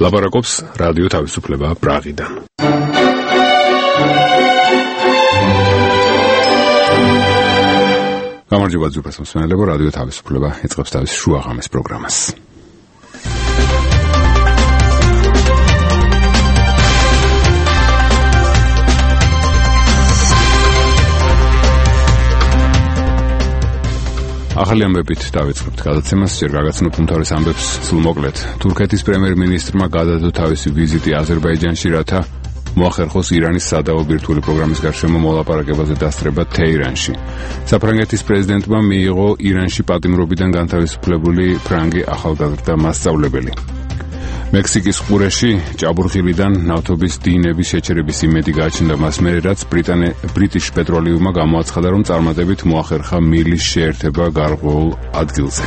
ლაპარაკობს რადიო თავისუფლება პრაღიდან. გამარჯობა ძვირფას მსმენელებო, რადიო თავისუფლება იწყებს თავის შუაღამის პროგრამას. ახალი ამბებით დავიწყებთ გადაცემას, ჯერ გაგაცნობთ უმთავრეს ამბებს სრულმოკლედ. თურქეთის პრემიერ-მინისტრმა გადადო თავისი ვიზიტი აზერბაიჯანში, რათა მოახერხოს ირანის სადავო ბირთვული პროგრამის გარშემო მოლაპარაკებაზე დასწრება თეირანში. საფრანგეთის პრეზიდენტმა მიიღო ირანში პატიმრობიდან განთავისუფლებული ფრანგი ახალგაზრდა მასწავლებელი. მექსიკის ყურეში ჭაბურღილიდან ნავთობის დინების შეჩერების იმედი გააჩნდა მას მერე, რაც ბრიტიშ პეტროლიუმმა გამოაცხადა, რომ წარმატებით მოახერხა მილის შეერთება გარღვეულ ადგილზე.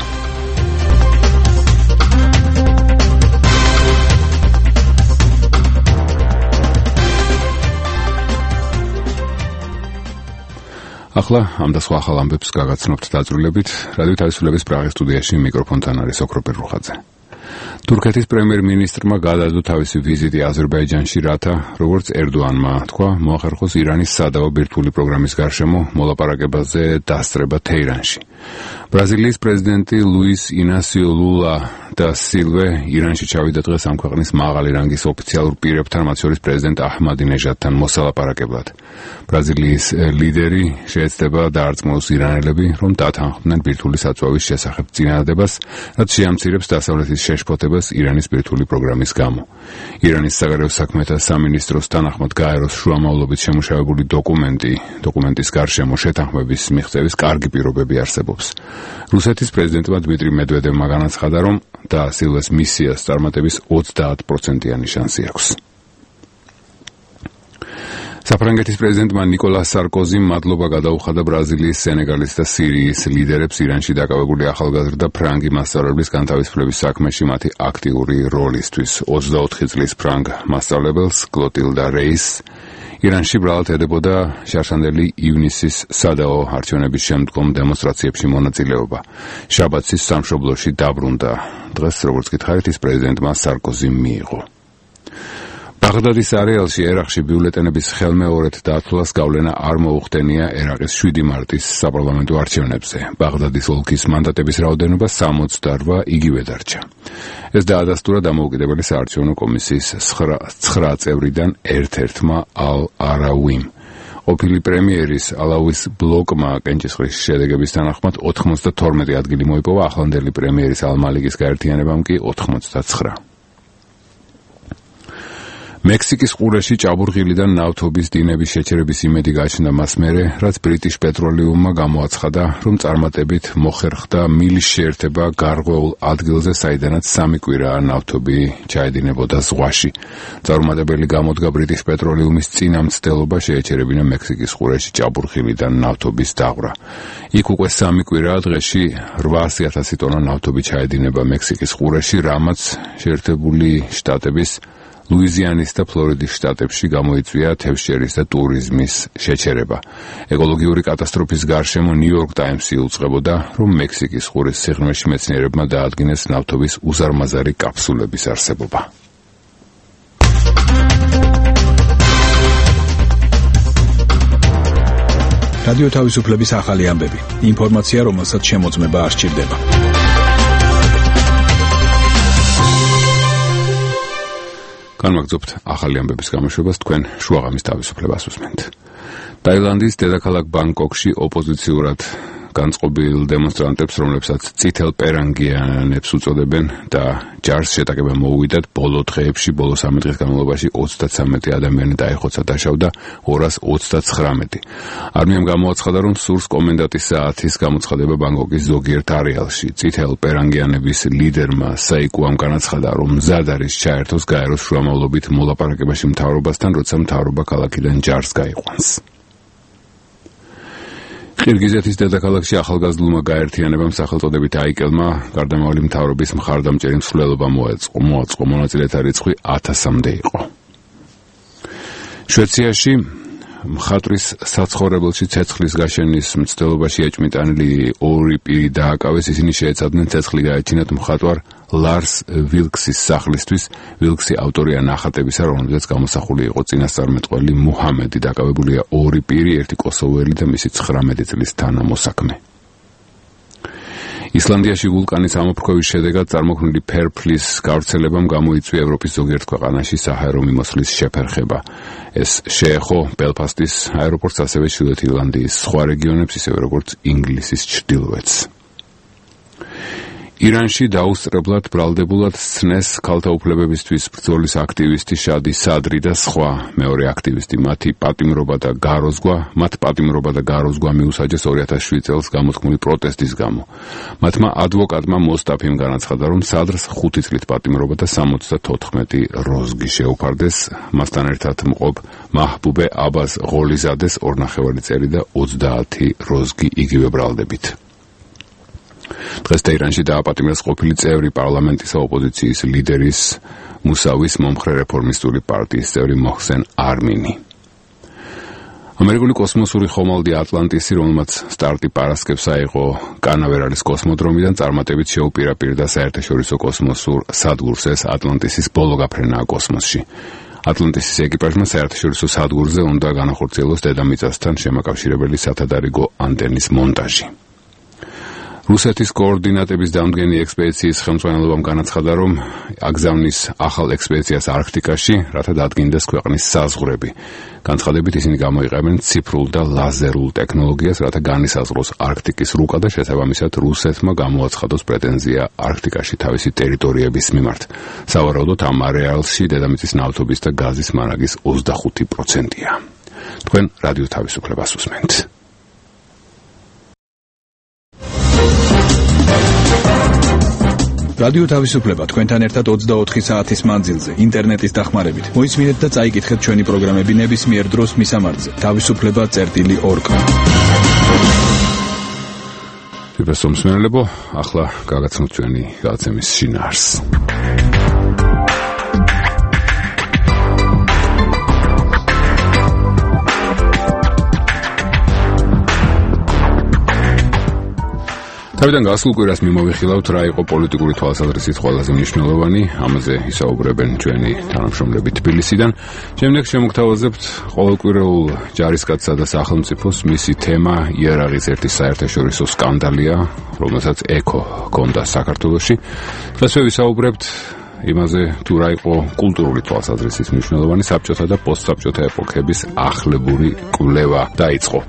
ახლა ამ და სხვა ახალ ამბებს გაგაცნობთ დაწვრილებით. რადიო თავისუფლების პრაღის სტუდიაში მიკროფონთან არის ოქროპერ რუხაძე. თურქეთის პრემიერ-მინისტრმა გადადო თავისი ვიზიტი აზერბაიჯანში, რათა, როგორც ერდოანმა თქვა, მოახერხოს ირანის სადავო ბირთვული პროგრამის გარშემო მოლაპარაკებაზე დასწრება თეირანში. ბრაზილიის პრეზიდენტი ლუის ინასიო ლულა და სილვე ირანში ჩავიდა დღეს ამ ქვეყნის მაღალი რანგის ოფიციალურ პირებთან, მათ შორის პრეზიდენტ აჰმადინეჟადთან მოსალაპარაკებლად. ბრაზილიის ლიდერი შეეცდება დაარწმუნოს ირანელები, რომ დათანხმდნენ ბირთვული საწვავის შესახებ წინადადებას, რაც შეამცირებს დასავლეთის შეშფოთებას ირანის ბირთვული პროგრამის გამო. ირანის საგარეო საქმეთა სამინისტროს თანახმად გაეროს შუამავლობით შემუშავებული დოკუმენტის გარშემო შეთანხმების მიღწევის კარგი პირობები არსებობს. რუსეთის პრეზიდენტმა დმიტრი მედვედევმა განაცხადა, რომ და სილვეს მისიას წარმატების 30%-იანი შანსი აქვს. საფრანგეთის პრეზიდენტმა ნიკოლას სარკოზიმ მადლობა გადაუხადა ბრაზილიის, სენეგალის და სირიის ლიდერებს ირანში დაკავებული ახალგაზრდა ფრანგი მასწავლებლის განთავისუფლების საქმეში მათი აქტიური როლისთვის. 24 წლის ფრანგ მასწავლებელს კლოტილდა რეისს ირანში ბრალად ედებოდა შარშანდელი ივნისის სადაო არჩევნების შემდგომ დემონსტრაციებში მონაწილეობა. შაბათის სამშობლოში დაბრუნდა. დღეს, როგორც გითხარით, ის პრეზიდენტმა სარკოზიმ მიიღო. ბაღდადის არეალში ერაყში ბიულეტენების ხელმეორედ დათვლას გავლენა არ მოუხდენია ერაყის 7 მარტის საპარლამენტო არჩევნებზე. ბაღდადის ოლქის მანდატების რაოდენობა 68 იგივე დარჩა. ეს დაადასტურა დამოუკიდებელი საარჩევნო კომისიის 9 წევრიდან ერთ-ერთმა ალ-არავიმ. ყოფილი პრემიერის ალავის ბლოკმა კენჭისყრის შედეგების თანახმად 92 ადგილი მოიპოვა, ახლანდელი პრემიერის ალ-მალიკის გაერთიანებამ კი 89. მექსიკის ყურეში ჭაბურღილიდან ნავთობის დინების შეჩერების იმედი გააჩნდა მას მერე, რაც ბრიტიშ პეტროლიუმმა გამოაცხადა, რომ წარმატებით მოხერხდა მილის შეერთება გარღვეულ ადგილზე, საიდანაც 3 კვირაა ნავთობი ჩაედინებოდა ზღვაში. წარუმატებელი გამოდგა ბრიტიშ პეტროლიუმის წინამცდელობა შეეჩერებინა მექსიკის ყურეში ჭაბურღილიდან ნავთობის დაღვრა. იქ უკვე 3 კვირაა დღეში 800,000 ტონა ნავთობი ჩაედინება მექსიკის ყურეში, რამაც შეერთებული შტატების ლუიზიანის და ფლორიდის შტატებში გამოიწვია თევზჭერის და ტურიზმის შეჩერება. ეკოლოგიური კატასტროფის გარშემო ნიუ-იორკ ტაიმსი უწყებოდა, რომ მექსიკის ყურის სიღრმეში მეცნიერებმა დაადგინეს ნავთობის უზარმაზარი კაფსულების არსებობა. რადიო თავისუფლების ახალი ამბები. ინფორმაცია, რომელსაც შემოწმება არ სჭირდება. განვაგრძობთ ახალი ამბების გამოშვებას, თქვენ შუაღამის თავისუფლებას უსმენთ. ტაილანდის დედაქალაქ ბანგკოკში ოპოზიციურად განწყობილ დემონსტრანტებს, რომლებსაც წითელ პერანგიანებს უწოდებენ და ჯარს შეტაკება მოუვიდათ, ბოლო დღეებში, ბოლო 3 დღის განმავლობაში 33 ადამიანი დაიხოცა, დაშავდა 229. არმიამ გამოაცხადა, რომ სურს კომენდანტის საათის გამოცხადება ბანგკოკის ზოგიერთ არეალში. წითელ პერანგიანების ლიდერმა საიკუამ განაცხადა, რომ მზად არის ჩაერთოს გაეროს შუამავლობით მოლაპარაკებაში მთავრობასთან, როცა მთავრობა ქალაქიდან ჯარს გაიყვანს. ყირგიზეთის დედაქალაქში ახალგაზრდულმა გაერთიანებამ სახელწოდებით აიკელმა გარდამავალი მთავრობის მხარდამჭერი მსვლელობა მოაწყო, მონაწილეთა რიცხვი 1000-მდე იყო. შვეიცარიაში მხატვრის საცხოვრებელში ცეცხლის გაშენის მცდელობაში ეჭმიტანილი ორი პირი დააკავეს. ისინი შეეცადნენ ცეცხლი გაეჩინათ მხატვარ ლარს ვილქსის სახლისთვის. ვილქსი ავტორია ნახატებისა, რომელზეც გამოსახული იყო წინასწარმეტყველი მუჰამედი. დაკავებულია ორი პირი, ერთი კოსოველი და მისი 19 წლის თანამოსაქმე. ისლანდიაში ვულკანის ამოფრქვევის შედეგად წარმოქმნილი ფერფლის გავრცელებამ გამოიწვია ევროპის ზოგიერთ ქვეყანაში საჰაერო მიმოსვლის შეფერხება. ეს შეეხო ბელფასტის აეროპორტს, ასევე ჩრდილოეთ ირლანდიის სხვა რეგიონებს, ისევე როგორც ინგლისის ჩრდილოეთს. ირანში დაუსწრებლად ბრალდებულად სცნეს ქალთა უფლებებისთვის ბრძოლის აქტივისტი შადი სადრი და სხვა მეორე აქტივისტი. მათ პატიმრობა და გაროზგვა მიუსაჯეს 2007 წელს გამოთქმული პროტესტის გამო. მათმა ადვოკატმა მოსტაფიმ განაცხადა, რომ სადრს 5 წლით პატიმრობა და 74 როზგი შეუფარდეს. მასთან ერთად მყოფ მაჰბუბე აბას ღოლიზადეს 2,5 წელი და 30 როზგი იგივე ბრალდებით. დღეს ტეირანში დააპატიმრეს ყოფილი წევრი პარლამენტისა ოპოზიციის ლიდერის მუსავის მომხრე რეფორმისტული პარტიის წევრი მოჰსენ არმინი. ამერიკული კოსმოსური ხომალდი ატლანტისი, რომელმაც სტარტი პარასკევს აიღო კანავერალის კოსმოდრომიდან, წარმატებით შეუპირაპირდა საერთაშორისო კოსმოსურ სადგურს. ეს ატლანტისის ბოლო გაფრენაა კოსმოსში. ატლანტისის ეკიპაჟმა საერთაშორისო სადგურზე უნდა განახორციელოს დედამიწასთან შემაკავშირებელი სათადარიგო ანტენის მონტაჟი. რუსეთის კოორდინატების დამდგენი ექსპედიციის ხელმძღვანელობამ განაცხადა, რომ აგზავნის ახალ ექსპედიციას არქტიკაში, რათა დადგინდეს ქვეყნის საზღვრები. განცხადებით ისინი გამოიყენებენ ციფრულ და ლაზერულ ტექნოლოგიას, რათა განისაზღვროს არქტიკის რუკა და შესაბამისად რუსეთმა გამოაცხადოს პრეტენზია არქტიკაში თავისი ტერიტორიების მიმართ. სავარაუდოდ ამ არეალში დედამიწის ნავთობის და გაზის მარაგის 25%-ია. თქვენ რადიო თავისუფლებას უსმენთ. რადიო თავისუფლება თქვენთან ერთად 24 საათის მანძილზე ინტერნეტის დახმარებით. მოისმინეთ და წაიკითხეთ ჩვენი პროგრამები ნებისმიერ დროს მისამართზე. თავისუფლება.org. მსმენელებო, ახლა გაგაცნოთ ჩვენი გადაცემის შინაარსს. თავიდან გასულ კვირას მიმოვიხილავთ, რა იყო პოლიტიკური თვალსაზრისით ყველაზე მნიშვნელოვანი. ამაზე ისაუბრებენ ჩვენი თანამშრომლები თბილისიდან. შემდეგ შემოგთავაზებთ ყოველკვირეულ ჯარისკაცსა და სახელმწიფოს. მისი თემა იარაღის ერთი საერთაშორისო სკანდალია, რომელსაც ეკო ჰქონდა საქართველოში. დღესვე ვისაუბრებთ იმაზე, თუ რა იყო კულტურული თვალსაზრისით მნიშვნელოვანი. საბჭოთა და პოსტსაბჭოთა ეპოქების ახლებური კვლევა დაიწყო.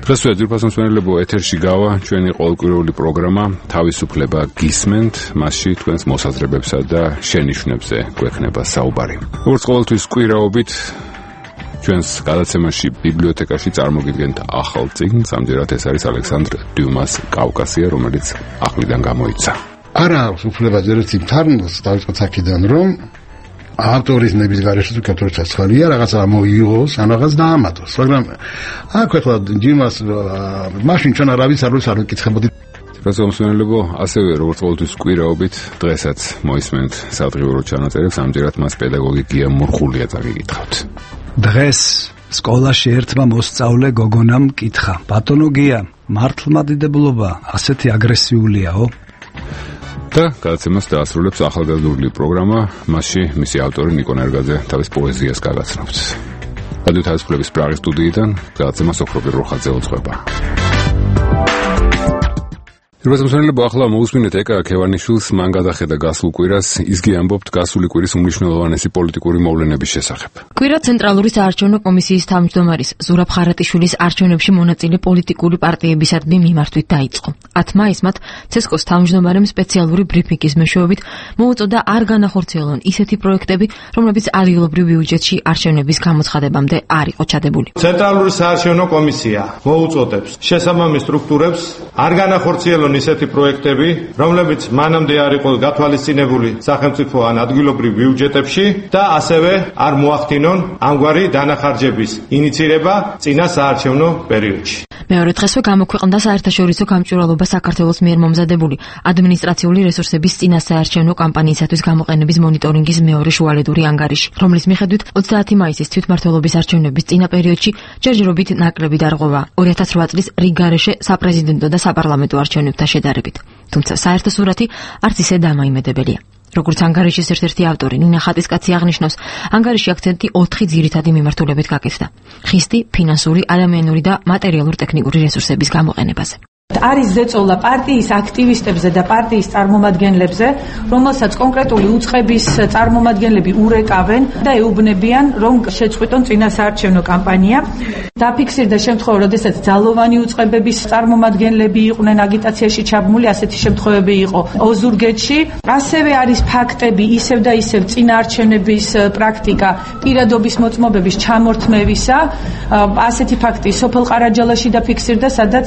დღესვე ძირფას მსმენელებო, ეთერში გავა ჩვენი ყოველკვირეული პროგრამა თავისუფლება გისმენთ. მასში თქვენს მოსაზრებებსა და შენიშვნებზე გვექნება საუბარი. როგორც ყოველთვის კვირაობით ჩვენს გადაცემაში ბიბლიოთეკაში წარმოგიდგენთ ახალ წიგნს. ამჯერად ეს არის ალექსანდრ დიუმას კავკასია, რომელიც ახლიდან გამოიცა. არა აქვს უფლება ზერეთი თარნოს დავიწყოთ აქედან, რომ ავტორის ნების გარეშე თუ კეთილ ჩაცხალია რაღაცა მოიგოს, ან რაღაც დაამატოს. მაგრამ აქ ახლა ჯიმას მაშინ ჩვენ არავის არ ვიკითხებოდი. პროფესორ ასევე როგორც ყოველთვის კვირაობით დღესაც მოისმენთ სადღიურო ჩანაწერებს. ამჯერად მას პედაგოგი გია მურხულია წაგიკითხავთ. დღეს სკოლაში ერთმა მოსწავლე გოგონამ კითხა: ბატონო გია, მართლმადიდებლობა ასეთი აგრესიულიაო? და გადაცემას დაასრულებს ახალგაზრდული პროგრამა. მასში მისი ავტორი ნიკო ნერგაძე თავის პოეზიას გაგაცნობთ. რადიო თავისუფლების პრაღის სტუდიიდან გადაცემა სოფრობი როხაძე უძღვება. რუსეთმა ახლა მოусმინეთ ეკა ქევანიშვილს, მან გადახედა გასულ კვირას. ისგი ამბობთ გასული კვირის უმნიშვნელოვანესი პოლიტიკური მოვლენების შესახებ. კვირა ცენტრალური საარჩევნო კომისიის თავმჯდომარის ზურაბ ხარატიშვილის არჩევნებში მონაწილე პოლიტიკური პარტიებისადმი მიმართვით დაიწყო. 10 მაისს ცესკოს თავმჯდომარემ სპეციალური ბრიფინგის მეშვეობით მოუწოდა არ განახორციელონ ისეთი პროექტები, რომლებიც ადგილობრივ ბიუჯეტში არჩევნების გამოცხადებამდე არ იყო ჩადებული. ცენტრალური საარჩევნო კომისია მოუწოდებს შესაბამის სტრუქტურებს არ განახორციელონ ისეთი პროექტები, რომლებიც მანამდე არ იყო გათვალისწინებული სახელმწიფო ან ადგილობრივ ბიუჯეტებში და ასევე არ მოახდინონ ამგვარი დანახარჯების ინიცირება წინა საარჩევნო პერიოდში. მეორე დღესვე გამოქვეყნდა საერთაშორისო გამჭვირვალობა საქართველოს მიერ მომზადებული ადმინისტრაციული რესურსების წინასაარჩევნო კამპანიისათვის გამოყენების მონიტორინგის მეორე შუალედური ანგარიში, რომლის მიხედვით 30 მაისის თვითმმართველობის არჩევნების წინა პერიოდში ჯერჯერობით ნაკლები დარღვევა 2008 წლის რიგგარეშე საპრეზიდენტო და საპარლამენტო არჩევნებთან შედარებით. თუმცა საერთო სურათი არც ისე დამაიმედებელია. როგორც ანგარიშის ერთ-ერთი ავტორი ნინა ხატისკაცი აღნიშნავს, ანგარიში აქცენტი 4 ძირითადი მიმართულებით გაკეთდა: ხისტი, ფინანსური, ადამიანური და მატერიალურ-ტექნიკური რესურსების გამოყენებაზე. არის ზეწოლა პარტიის აქტივისტებზე და პარტიის წარმომადგენლებზე, რომელსაც კონკრეტული უწყების წარმომადგენლები ურეკავენ და ეუბნებიან, რომ შეწყვიტონ წინასაარჩევნო კამპანია. დაფიქსირდა შემთხვევა, როდესაც ძალოვანი უწყებების წარმომადგენლები იყვნენ აგიტაციაში ჩაბმული, ასეთი შემთხვევები იყო ოზურგეთში. ასევე არის ფაქტები ისევ და ისევ წინაარჩევნების პრაქტიკა პირადობის მოწმობების ჩამორთმევისა. ასეთი ფაქტი სოფელ ყარაჯალაში დაფიქსირდა, სადაც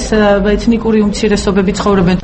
ეთნიკური უმცირესობები ცხოვრობენ.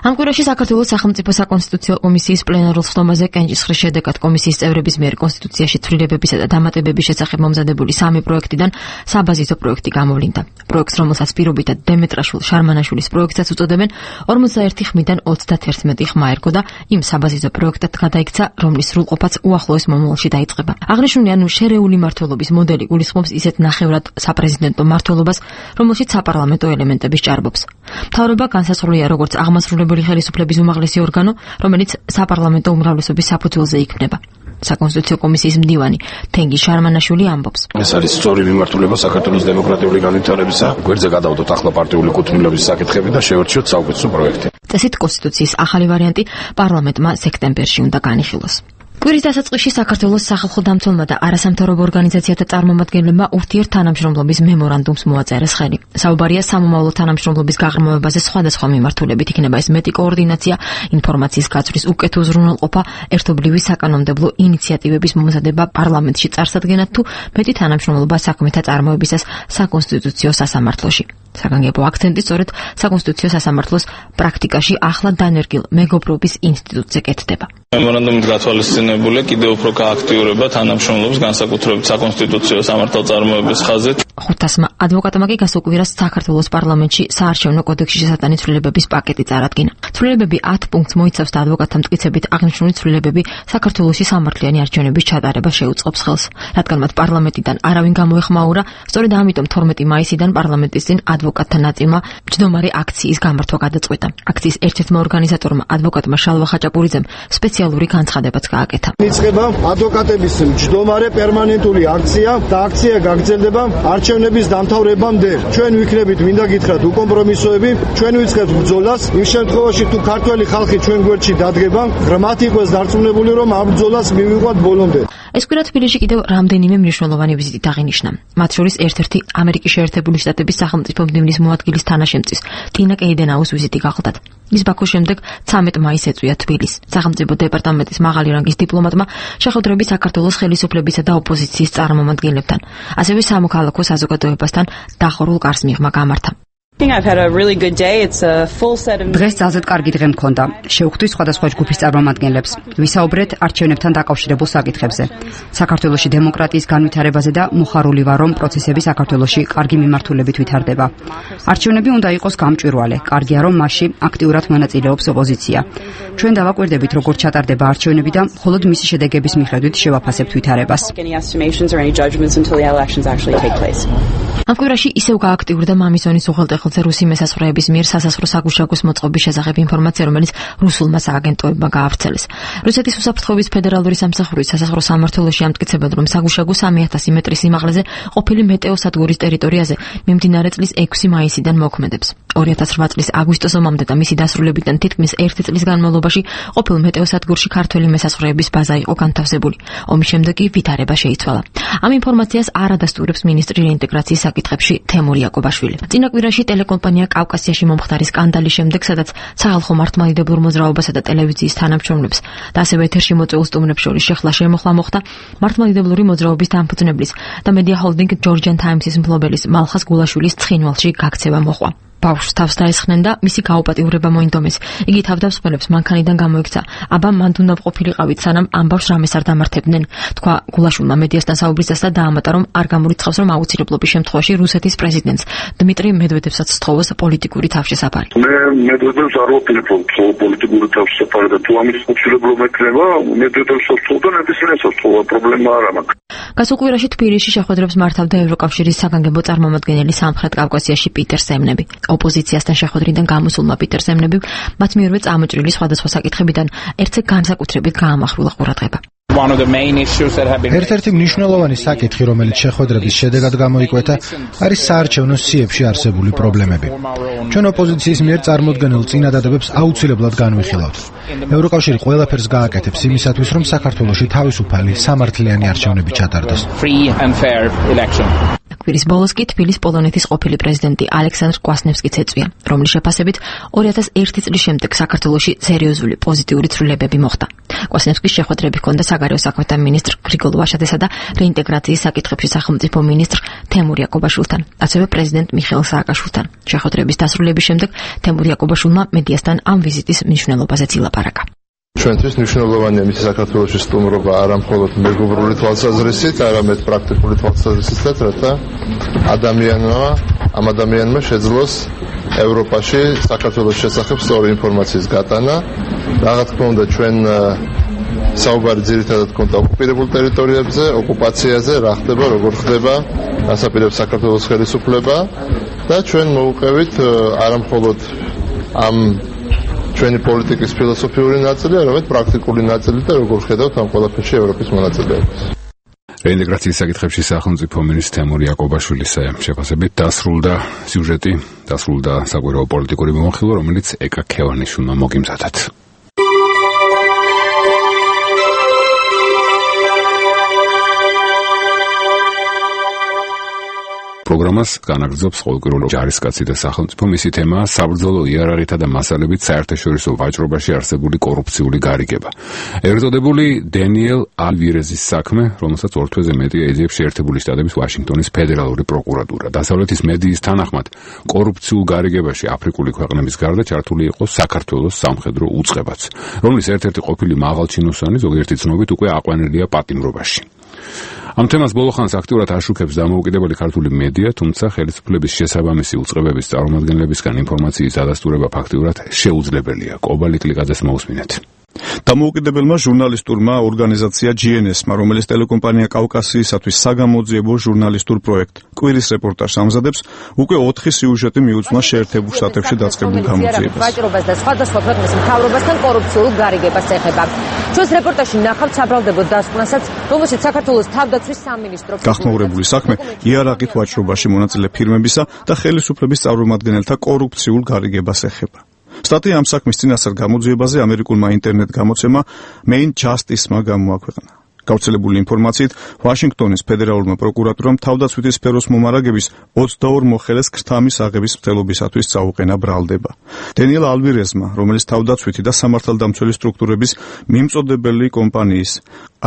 ამ კვირაში საქართველოს სახელმწიფო საკონსტიტუციო კომისიის პლენარულ სხდომაზე კენჭისყრის შედეგად კომისიის წევრების მიერ კონსტიტუციაში ცვლილებებისა და დამატებების შესახებ მომზადებული 3 პროექტიდან საბაზისო პროექტი გამოვლინდა. პროექტს, რომელსაც პირობითად დემეტრაშვილ შარმანაშვილის პროექტსაც უწოდებენ, 41 ხმიდან 31 ხმა ერგო და იმ საბაზისო პროექტად გადაიქცა, რომლის სრულყოფაც უახლოეს მომავალში დაიწყება. აღნიშნული შერეული მმართველობის მოდელი გულისხმობს ისეთ ნახევრად საპრეზიდენტო მმართველობას, რომელშიც საპარლამენტო ელემენტები სჭარბობს. მთავრობა განსაზღვრულია როგორც აღმასრულებელი ხელისუფლების უმაღლესი ორგანო, რომელიც საპარლამენტო უმრავლესობის საფუძველზე იქმნება. საკონსტიტუციო კომისიის მდივანი თენგი შარმანაშვილი ამბობს: ეს არის სწორი მიმართულება საქართველოს დემოკრატიული განვითარებისა. გვერდზე გადავდოთ ახლა პარტიული კუთვნილების საკითხები და შევერჩიოთ საუკეთესო პროექტი. წესით კონსტიტუციის ახალი ვარიანტი პარლამენტმა სექტემბერში უნდა განიხილოს. კვირის დასაწყისში საქართველოს სახალხო დამცველმა და არასამთავრობო ორგანიზაციათა წარმომადგენლებმა ურთიერთთანამშრომლობის მემორანდუმს მოაწერეს ხელი. საუბარია სამომავლო თანამშრომლობის გაღრმავებაზე სხვადასხვა მიმართულებით, იქნება ეს მეტი კოორდინაცია, ინფორმაციის გაცვლის უკეთ უზრუნველყოფა, ერთობლივი საკანონმდებლო ინიციატივების მომზადება პარლამენტში წარსადგენად თუ მეტი თანამშრომლობა საქმეთა წარმოებისას საკონსტიტუციო სასამართლოში. საგანგებო აქცენტი სწორედ საკონსტიტუციო სასამართლოს პრაქტიკაში ახლა დანერგილ მეგობრობის ინსტიტუტზე კეთდება. მემორანდუმით გათვალისწინებულია კიდევ უფრო გააქტიურება თანამშრომლობის განსაკუთრებით საკონსტიტუციო სამართალწარმოების ხაზით. 500 ადვოკატმა კი გასულ კვირას საქართველოს პარლამენტში საარჩევნო კოდექსში შესატანი ცვლილებების პაკეტი წარადგინა. ცვლილებები 10 პუნქტს მოიცავს და ადვოკატთა მტკიცებით აღნიშნული ცვლილებები საქართველოში სამართლიანი არჩევნების ჩატარებას შეუწყობს ხელს. რადგან მათ პარლამენტიდან არავინ გამოეხმაურა, სწორედ ამიტომ 12 მაისიდან პარლამენტის წინ ადვოკატთა ნაწილმა მჯდომარე აქციის გამართვა გადაწყვეტა. აქციის ერთ-ერთმა ორგანიზატორმა ადვოკატმა შალვა ხაჭაპურიძემ სპეციალური განცხადებაც გააკეთა. იწყება ადვოკატების მჯდომარე პერმანენტული აქცია და აქცია გაგრძელდება არჩევნების დამთავრებამდე. ჩვენ ვიქნებით, მინდა გითხრათ, უკომპრომისოები, ჩვენ ვიწყებთ ბრძოლას იმ შემთხვევაში თუ ქართველი ხალხი ჩვენ გვერდში დადგება, ღრმად იყოს დარწმუნებული, რომ ამ ბრძოლას მივიყვათ ბოლომდე. ეს კვირა თბილისში კიდევ რამდენიმე მნიშვნელოვანი ვიზიტით აღინიშნა. მათ შორის ერთ-ერთი ამერიკის შეერთებული შტატების სახელმწიფო მდივნის მოადგილის თანაშემწის ტინა კეიდენაუს ვიზიტი გახლდათ. ის ბაქოს შემდეგ 13 მაისს ეწვია თბილისს. სახელმწიფო დეპარტამენტის მაღალი რანგის დიპლომატმა შეხვედრები საქართველოს ხელისუფლებისა და ოპოზიციის წარმომადგენლებთან, ასევე სამოქალაქო საზოგადოებასთან დახურულ კარს მიღმა გამართა. დღეს ძალზედ კარგი დღე მქონდა. შევხვდით სხვადასხვა ჯგუფის წარმომადგენლებს. ვისაუბრეთ არჩევნებთან დაკავშირებულ საკითხებზე. საქართველოში დემოკრატიის განვითარებაზე და მოხარული ვარ, რომ პროცესები საქართველოში კარგი მიმართულებით ვითარდება. არჩევნები უნდა იყოს გამჭვირვალე. კარგია, რომ მასში აქტიურად მონაწილეობს ოპოზიცია. ჩვენ დავაკვირდებით, როგორ ჩატარდება არჩევნები და მხოლოდ მისი შედეგების მიხედვით შევაფასებთ ვითარებას. ამ კვირაში ისევ გააქტიურდა მამისონის უღელტეხილზე რუსი მესასროების მიერ სასასხრო საგუშაგოს მოწყობის შესახებ ინფორმაცია, რომელიც რუსულმა სააგენტოებმა გაავრცელეს. რუსეთის უსაფრთხოების ფედერალური სამსახურის სასასხრო სამმართველოში ამტკიცებენ, რომ საგუშაგო 3000 მეტრის სიმაღლეზე ყოფილი მეტეოსადგურის ტერიტორიაზე მიმდინარე წლის 6 მაისიდან მოქმედებს. 2008 წლის აგვისტოს ომამდე და მისი დასრულებიდან თითქმის 1 წლის განმავლობაში ყოფილ მეტეოსადგურში ქართველი მესასროების ბაზა იყო განთავსებული. ომის შემდეგ კი ვითარება შეიცვალა. ამ ინფორმაციას არ ადასტურებს მინისტრი რეინტეგრაციის საკითხებში თემურ იაკობაშვილი. წინა კვირაში ტელეკომპანია კავკასიაში მომხდარი სკანდალის შემდეგ, სადაც სახალხო მართლმადიდებლურ მოძრაობასა და ტელევიზიის თანამშრომლებს და ასევე ეთერში მოწვეულ სტუმრებს შორის შეხლა შემოხლა მოხდა მართლმადიდებლური მოძრაობის დამფუძნებლის და მედია ჰოლდინგ ჯორჯიან ტაიმსის მფლობელის მალხას გულაშვილის ცხინვალში გაქცევა მოყვა. ბავშვს თავს დაესხნენ და მისი გაუპატიურება მოინდომეს. იგი თავდამსხმელებს მანქანიდან გამოიქცა. აბა მანდ უნდა ყოფილიყავით, სანამ ამ ბავშვს რამეს არ დამართებდნენ. თქვა გულაშვილმა მედიასთან საუბრისას და დაამატა, რომ არ გამორიცხავს, რომ აუცილებლობის შემთხვევაში რუსეთის პრეზიდენტს დმიტრი მედვედევსაც სთხოვოს პოლიტიკური თავშესაფარი. მე მედვედევს არ ვაპირებ, რომ პოლიტიკური თავშესაფარი და თუ ამის აუცილებლობა ექნება, მედვედევს სთხოვდა, ნებისმიერს სთხოვა, პრობლემა არ აქვს. გასულ კვირაში თბილისში შეხვედრებს მართავდა ევროკავშირის საგანგებო წარმომადგენელი სამხრეთ კავკასიაში პიტერ სემნები. ოპოზიციასთან შეხვედრიდან გამოსულმა პიტერ სემნებიმ მათ მიერვე წამოჭრილი სხვადასხვა საკითხებიდან ერთზე განსაკუთრებით გაამახვილა ყურადღება. ერთ-ერთი მნიშვნელოვანი საკითხი, რომელიც შეხვედრების შედეგად გამოიკვეთა, არის საარჩევნო სიებში არსებული პრობლემები. ჩვენ ოპოზიციის მიერ წარმოდგენილ წინადადებებს აუცილებლად განვიხილავთ. ევროკავშირი ყველაფერს გააკეთებს იმისათვის, რომ საქართველოში თავისუფალი, სამართლიანი არჩევნები ჩატარდეს. კვირის ბოლოს კი თბილის პოლონეთის ყოფილი პრეზიდენტი ალექსანდრ კვასნევსკიც ეწვია, რომლის შეფასებით 2001 წლის შემდეგ საქართველოში სერიოზული პოზიტიური ცვლილებები მოხდა. კვასნევსკის შეხვედრები ჰქონდა საგარეო საქმეთა მინისტრ გრიგოლ ვაშაძესა და რეინტეგრაციის საკითხებში სახელმწიფო მინისტრ თემურ იაკობაშვილთან, ასევე პრეზიდენტ მიხეილ სააკაშვილთან. შეხვედრების დასრულების შემდეგ თემურ იაკობაშვილმა მედიასთან ამ ვიზიტის მნიშვნელობაზეც ილაპარაკა. ჩვენთვის მნიშვნელოვანია მისი საქართველოში სტუმრობა არა მხოლოდ მეგობრული თვალსაზრისით, არამედ პრაქტიკული თვალსაზრისითაც, რათა ამ ადამიანმა შეძლოს ევროპაში საქართველოს შესახებ სწორი ინფორმაციის გატანა. რა თქმა უნდა, ჩვენ საუბარი ძირითადად გქონდა ოკუპირებულ ტერიტორიებზე, ოკუპაციაზე, რა ხდება, როგორ ხდება, გასაპირებს საქართველოს ხელისუფლება და ჩვენ მოვუყევით არა მხოლოდ ამ ჩვენი პოლიტიკის ფილოსოფიური ნაწილი, არამედ პრაქტიკული ნაწილი და როგორ ხედავთ ამ ყველაფერში ევროპის მონაწილეობას. რეინტეგრაციის საკითხებში სახელმწიფო მინისტრ თემურ იაკობაშვილის შეფასებით დასრულდა სიუჟეტი, დასრულდა საკვირაო პოლიტიკური მიმოხილვა, რომელიც ეკა ქევანიშვილმა მოგიმზადათ. პროგრამას განაგრძობს ყოველკვირეული ჯარისკაცი და სახელმწიფო. მისი თემაა საბრძოლო იარაღითა და მასალებით საერთაშორისო ვაჭრობაში არსებული კორუფციული გარიგება. ერთადებული დენიელ ალვირეზის საქმე, რომელსაც ორ თვეზე მეტია ეძიებს შეერთებული შტატების ვაშინგტონის ფედერალური პროკურატურა. დასავლეთის მედიის თანახმად, კორუფციულ გარიგებაში აფრიკული ქვეყნების გარდა ჩართული იყო საქართველოს სამხედრო უწყებაც, რომლის ერთ-ერთი ყოფილი მაღალჩინოსანი ზოგიერთი ცნობით უკვე აყვანილია პატიმრობაში. ამ თემას ბოლოხანს აქტიურად აშუქებს დამოუკიდებელი ქართული მედია, თუმცა ხელისუფლების შესაბამისი უწყებების წარმომადგენლებისგან ინფორმაციის დადასტურება ფაქტიურად შეუძლებელია. კობალი კლიკაძეს მოусმინეთ. დამოუკიდებელმა ჟურნალისტურმა ორგანიზაცია GNS-მა, რომელიც ტელეკომპანია კავკასიისათვის საგამოძიებო ჟურნალისტურ პროექტ კვირის რეპორტაჟს ამზადებს, უკვე 4 სიუჟეტი მიუძღვნა შეერთებულ შტატებში დაწყებულ გამოძიებას. ვაჭრობას და სხვადასხვა ქვეყნის მთავრობასთან კორუფციულ გარიგებას ეხება. ჩვენს რეპორტაჟში ნახავთ საბრალდებო დასკვნასაც, რომელშიც საქართველოს თავდაცვის სამინისტრო გახმაურებული საქმე იარაღით ვაჭრობაში მონაწილე ფირმებისა და ხელისუფლების წარმომადგენელთა კორუფციულ გარიგებას ეხება. სტატია ამ საქმის წინასწარ გამოძიებაზე ამერიკულმა ინტერნეტ გამოცემა Main Justice-მა გამოაქვეყნა. გავრცელებული ინფორმაციით, ვაშინგტონის ფედერალურმა პროკურატურამ თავდაცვითი სფეროს მომარაგების 22 მოხელეს ქრთამის აღების მცდელობისათვის წაუყენა ბრალდება. დენიელ ალვირეზმა, რომელიც თავდაცვითი და სამართალდამცველი სტრუქტურების მიმწოდებელი კომპანიის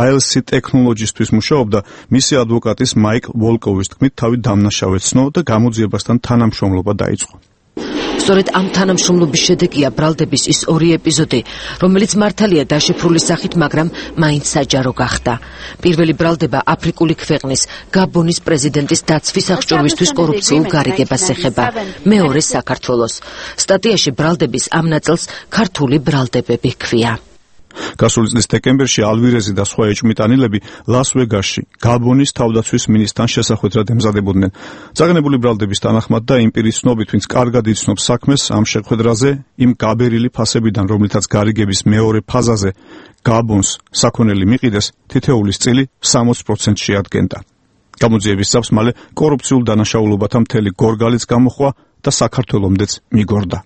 ILC Technologies-თვის მუშაობდა, მისი ადვოკატის მაიკ ვოლკოვის თქმით, თავი დამნაშავეცნო და გამოძიებასთან თანამშრომლობა დაიწყო. სწორედ ამ თანამშრომლობის შედეგია ბრალდების ის 2 ეპიზოდი, რომელიც მართალია დაშიფრული სახით, მაგრამ მაინც საჯარო გახდა. პირველი ბრალდება აფრიკული ქვეყნის გაბონის პრეზიდენტის დაცვის აღჭურვისთვის კორუფციულ გარიგებას ეხება. მეორე საქართველოს. სტატიაში ბრალდების ამ ნაწილს ქართული ბრალდებები ჰქვია. გასული წლის დეკემბერში ალვირეზი და სხვა ეჭვმიტანილები ლას-ვეგასში გაბონის თავდაცვის მინისტრთან შესახვედრად ემზადებოდნენ. წაგნებული ბრალდების თანახმად და იმპერიის ცნობით, ვინც კარგად იცნობს საქმეს, ამ შეხვედრაზე იმ გაბერილი ფასებიდან, რომლითაც გარიგების მეორე ფაზაზე გაბონს საქონელი მიყიდეს, თითოეულის წილი 60% შეადგენდა. გამოძიების წამს მალე კორუფციულ დანაშაულობათა მთელი გორგალიც გამოხვა და საქართველომდეც მიგორდა.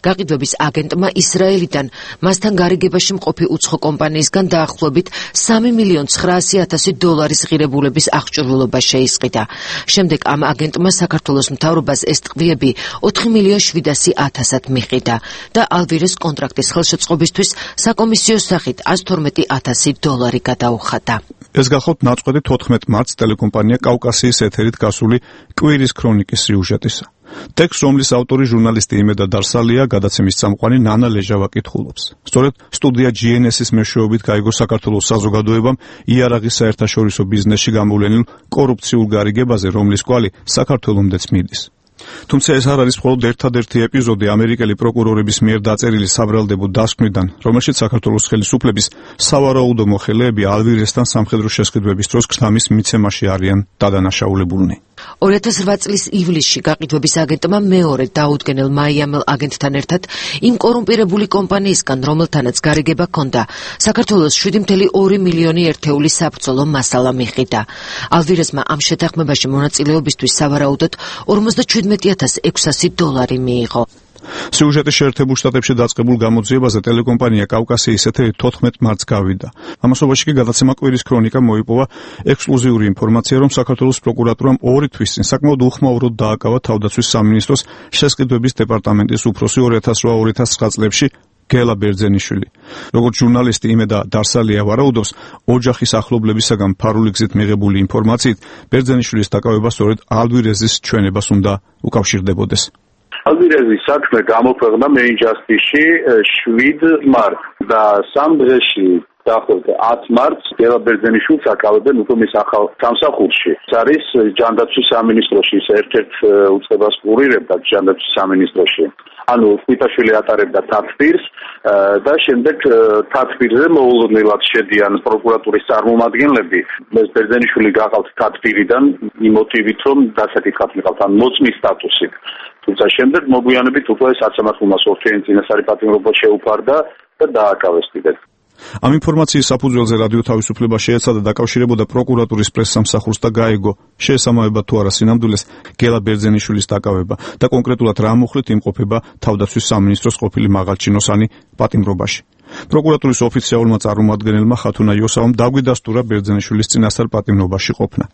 გაყიდვების აგენტმა ისრაელიდან მასთან გარიგებაში მყოფი უცხო კომპანიისგან დაახლოებით $3,900,000 ღირებულების აღჭურვილობა შეისყიდა. შემდეგ ამ აგენტმა საქართველოს მთავრობას ეს ტყვიები $4,700,000-ად მიყიდა და ალვირეს კონტრაქტის ხელშეწყობისთვის საკომისიო სახით $112,000 გადაუხადა. ეს გახლავთ ნაწყვეტი 14 მარტს ტელეკომპანია კავკასიის ეთერით გასული კვირის ქრონიკის სიუჟეტისა. ტექსტს, რომლის ავტორი ჟურნალისტი იმედა დარსალია, გადაცემის წამყვანი ნანა ლეჟავა კითხულობს. სწორედ სტუდია GNS-ის მეშვეობით გაიგო საქართველოს საზოგადოებამ იარაღის საერთაშორისო ბიზნესში გამოვლენილ კორუფციულ გარიგებაზე, რომლის კვალი საქართველომდეც მიდის. თუმცა ეს არ არის მხოლოდ ერთადერთი ეპიზოდი ამერიკელი პროკურორების მიერ დაწერილი საბრალდებო დასკვნიდან, რომელშიც საქართველოს ხელისუფლების სავარაუდო მოხელეები ალვირესთან სამხედრო შესყიდვების დროს ქრთამის მიცემაში არიან დადანაშაულებულნი. 2008 წლის ივლისში გაყიდვების აგენტმა მეორე დაუდგენელ მაიამელ აგენტთან ერთად იმ კორუმპირებული კომპანიისგან, რომელთანაც გარიგება ჰქონდა, საქართველოს 7.2 მილიონი ერთეული საბრძოლო მასალა მიყიდა. ალვირესმა ამ შეთანხმებაში მონაწილეობისთვის სავარაუდოდ $47,600 მიიღო. სიუჟეტი შეერთებულ შტატებში დაწყებულ გამოძიებაზე ტელეკომპანია კავკასიის ეთერი 14 მარტს გავიდა. ამასობაში კი გადაცემა კვირის ქრონიკა მოიპოვა ექსკლუზიური ინფორმაცია, რომ საქართველოს პროკურატურამ 2 თვის წინ საკმაოდ უხმაუროდ დააკავა თავდაცვის სამინისტროს შესყიდვების დეპარტამენტის უფროსი 2008-2009 წლებში გელა ბერძენიშვილი. როგორც ჟურნალისტი იმედა დარსალია ვარაუდობს, ოჯახის ახლობლებისაგან ფარული გზით მიღებული ინფორმაციით, ბერძენიშვილის დაკავება სწორედ ალვირეზის ჩვენებას უნდა უკავშირდებოდეს. ალვირეზის საქმე გამოქვეყნდა Main Justice-ში 7 მარტს და 3 დღეში დაახლოებით 10 მარტს გელა ბერძენიშვილს აკავებენ უკვე მის ახალ სამსახურში. ეს არის ჯანდაცვის სამინისტროში, ერთ-ერთ უწყებას კურირებდა ჯანდაცვის სამინისტროში. ანუ სვიტაშვილი ატარებდა თათბირს და შემდეგ თათბირზე მოულოდნელად შედიან პროკურატურის წარმომადგენლები. ეს ბერძენიშვილი გაყავთ თათბირიდან იმ მოტივით, რომ დასაკითხად მიყავთ ან მოწმის სტატუსით. თუმცა შემდეგ მოგვიანებით უკვე საცამართლომა ორთიანი წინასწარი პატიმრობა შეუფარდა და დააკავეს კიდევ. ამ ინფორმაციის საფუძველზე რადიო თავისუფლება შეეცადა დაკავშირებოდა პროკურატურის პრესსამსახურს და გაეგო, შეესაბამება თუ არა სინამდვილეს გელა ბერძენიშვილის დაკავება და კონკრეტულად რა მოხლით იმყოფება თავდაცვის სამინისტროს ყოფილი მაღალჩინოსანი პატიმრობაში. პროკურატურის ოფიციალურმა წარმომადგენელმა ხათუნა იოსავამ დაგვიდასტურა ბერძენიშვილის წინასწარ პატიმრობაში ყოფნა.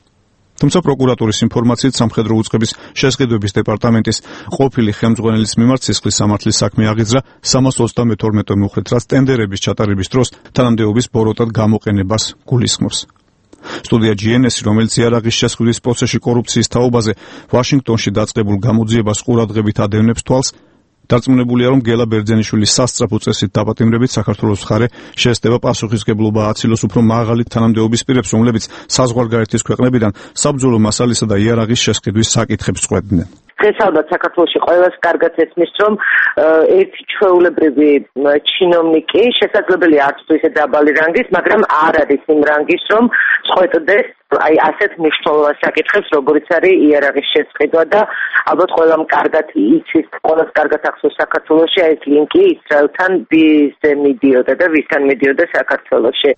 თუმცა პროკურატურის ინფორმაციით სამხედრო უწყების შესყიდვების დეპარტამენტის ყოფილი ხელმძღვანელის მიმართ სისხლის სამართლის საქმე აღიძრა 332 მუხლით, რაც ტენდერების ჩატარების დროს თანამდებობის ბოროტად გამოყენებას გულისხმობს. სტუდია GNS, რომელიც იარაღის შესყიდვის პროცესში კორუფციის თაობაზე ვაშინგტონში დაწყებულ გამოძიებას ყურადღებით ადევნებს თვალს, დარწმუნებულია, რომ გელა ბერძენიშვილის სასწრაფო წესით დაპატიმრებით საქართველოს მხარე შეესწება პასუხისმგებლობა აცილოს უფრო მაღალი თანამდებობის პირებს, რომლებიც საზღვარგარეთის ქვეყნებიდან საბრძოლო მასალისა და იარაღის შესყიდვის საკითხებს წყვეტდნენ. დღესავდაც საქართველოში ყველას კარგად ესმის, რომ ერთი ჩვეულებრივი ჩინოვნიკი შესაძლებელია არც თუ ისე დაბალი რანგის, მაგრამ არ არის იმ რანგის, რომ წყვეტდეს აი ასეთ მნიშვნელოვან საკითხებს, როგორიც არის იარაღის შესყიდვა და ალბათ ყველამ კარგად იცის, ყველას კარგად ახსოვს საქართველოში ეს ლინკი ისრაელთან ვიზზე მიდიოდა და ვისთან მიდიოდა საქართველოში.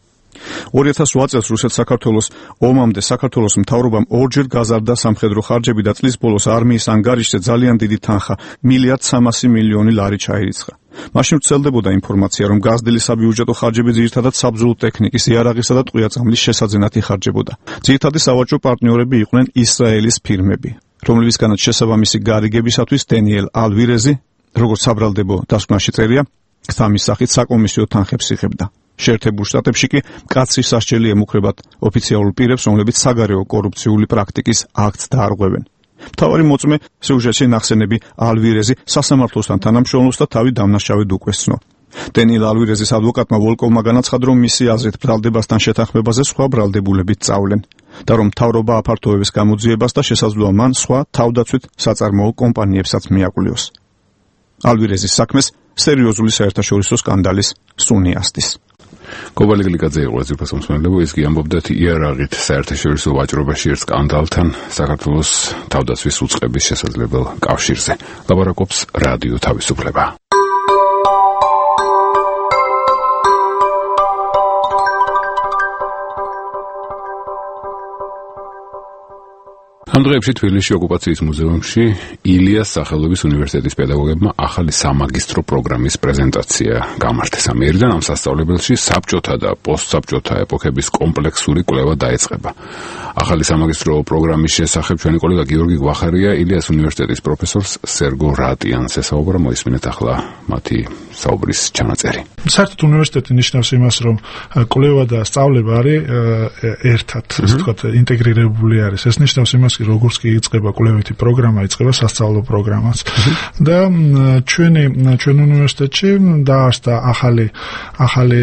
2008 წელს რუსეთ-საქართველოს ომამდე საქართველოს მთავრობამ ორჯერ გაზარდა სამხედრო ხარჯები და წლის ბოლოს არმიის ანგარიშზე ძალიან დიდი თანხა $1.3 მილიარდი ჩაირიცხა. მაშინ ვრცელდებოდა ინფორმაცია, რომ გაზრდილი საბიუჯეტო ხარჯები ძირითადად საბრძოლო ტექნიკის, იარაღისა და ტყვია-წამლის შესაძენად იხარჯებოდა. ძირითადი სავაჭრო პარტნიორები იყვნენ ისრაელის ფირმები, რომლებისგანაც შესაბამისი გარიგებისათვის დენიელ ალვირეზი, როგორც საბრალდებო დასკვნაში წერია, ქთამის სახით საკომისიო თანხებს იღებდა. შეერთებულ შტატებში კი მკაცრი სასჯელი ემუქრებათ ოფიციალურ პირებს, რომლებიც საგარეო კორუფციული პრაქტიკის აქტს დაარღვევენ. მთავარი მოწმე სიუჟეტში ნახსენები ალვირეზი სასამართლოსთან თანამშრომლობს და თავი დამნაშავედ უკვესცნო. დენიელ ალვირეზის ადვოკატმა ვოლკოვმა განაცხადა, რომ მისი აზრით ბრალდებასთან შეთანხმებაზე სხვა ბრალდებულებით წავლენ და რომ მთავრობა აფართოებს გამოძიებას და შესაძლოა მან სხვა თავდაცვით საწარმოო კომპანიებსაც მიაკვლიოს. ალვირეზის საქმეს სერიოზული საერთაშორისო სკანდალის სუნი ასდის. კობალი გლიკაძე იყო ეს მოსმენებო, ის კი ამბობდა იარაღით საერთაშორისო ვაჭრობაში ერთ სკანდალთან საქართველოს თავდაცვის უწყების შესაძლებელ კავშირზე. ლაბორატორობს რადიო თავისუფლება. ამ დღეებში თბილისში ოკუპაციის მუზეუმში ილიას სახელობის უნივერსიტეტის პედაგოგებმა ახალი სამაგისტრო პროგრამის პრეზენტაცია გამართეს. ამ მიერიდან ამ სასწავლებელში საბჭოთა და პოსტსაბჭოთა ეპოქების კომპლექსური კვლევა დაეწყება. ახალი სამაგისტრო პროგრამის შესახებ ჩვენი კოლეგა გიორგი გვახარია ილიას უნივერსიტეტის პროფესორს სერგო რატიანს ესაუბრა, მოისმინეთ ახლა მათი საუბრის ჩანაწერი. საერთოდ უნივერსიტეტი ნიშნავს იმას, რომ კვლევა და სწავლება არის ერთად, ასე ვთქვათ, ინტეგრირებული არის. ეს ნიშნავს იმას, როგორც კი იწყება კვლევითი პროგრამა, იწყება სასწავლო პროგრამაც. და ჩვენ უნივერსიტეტში დაარსდა ახალი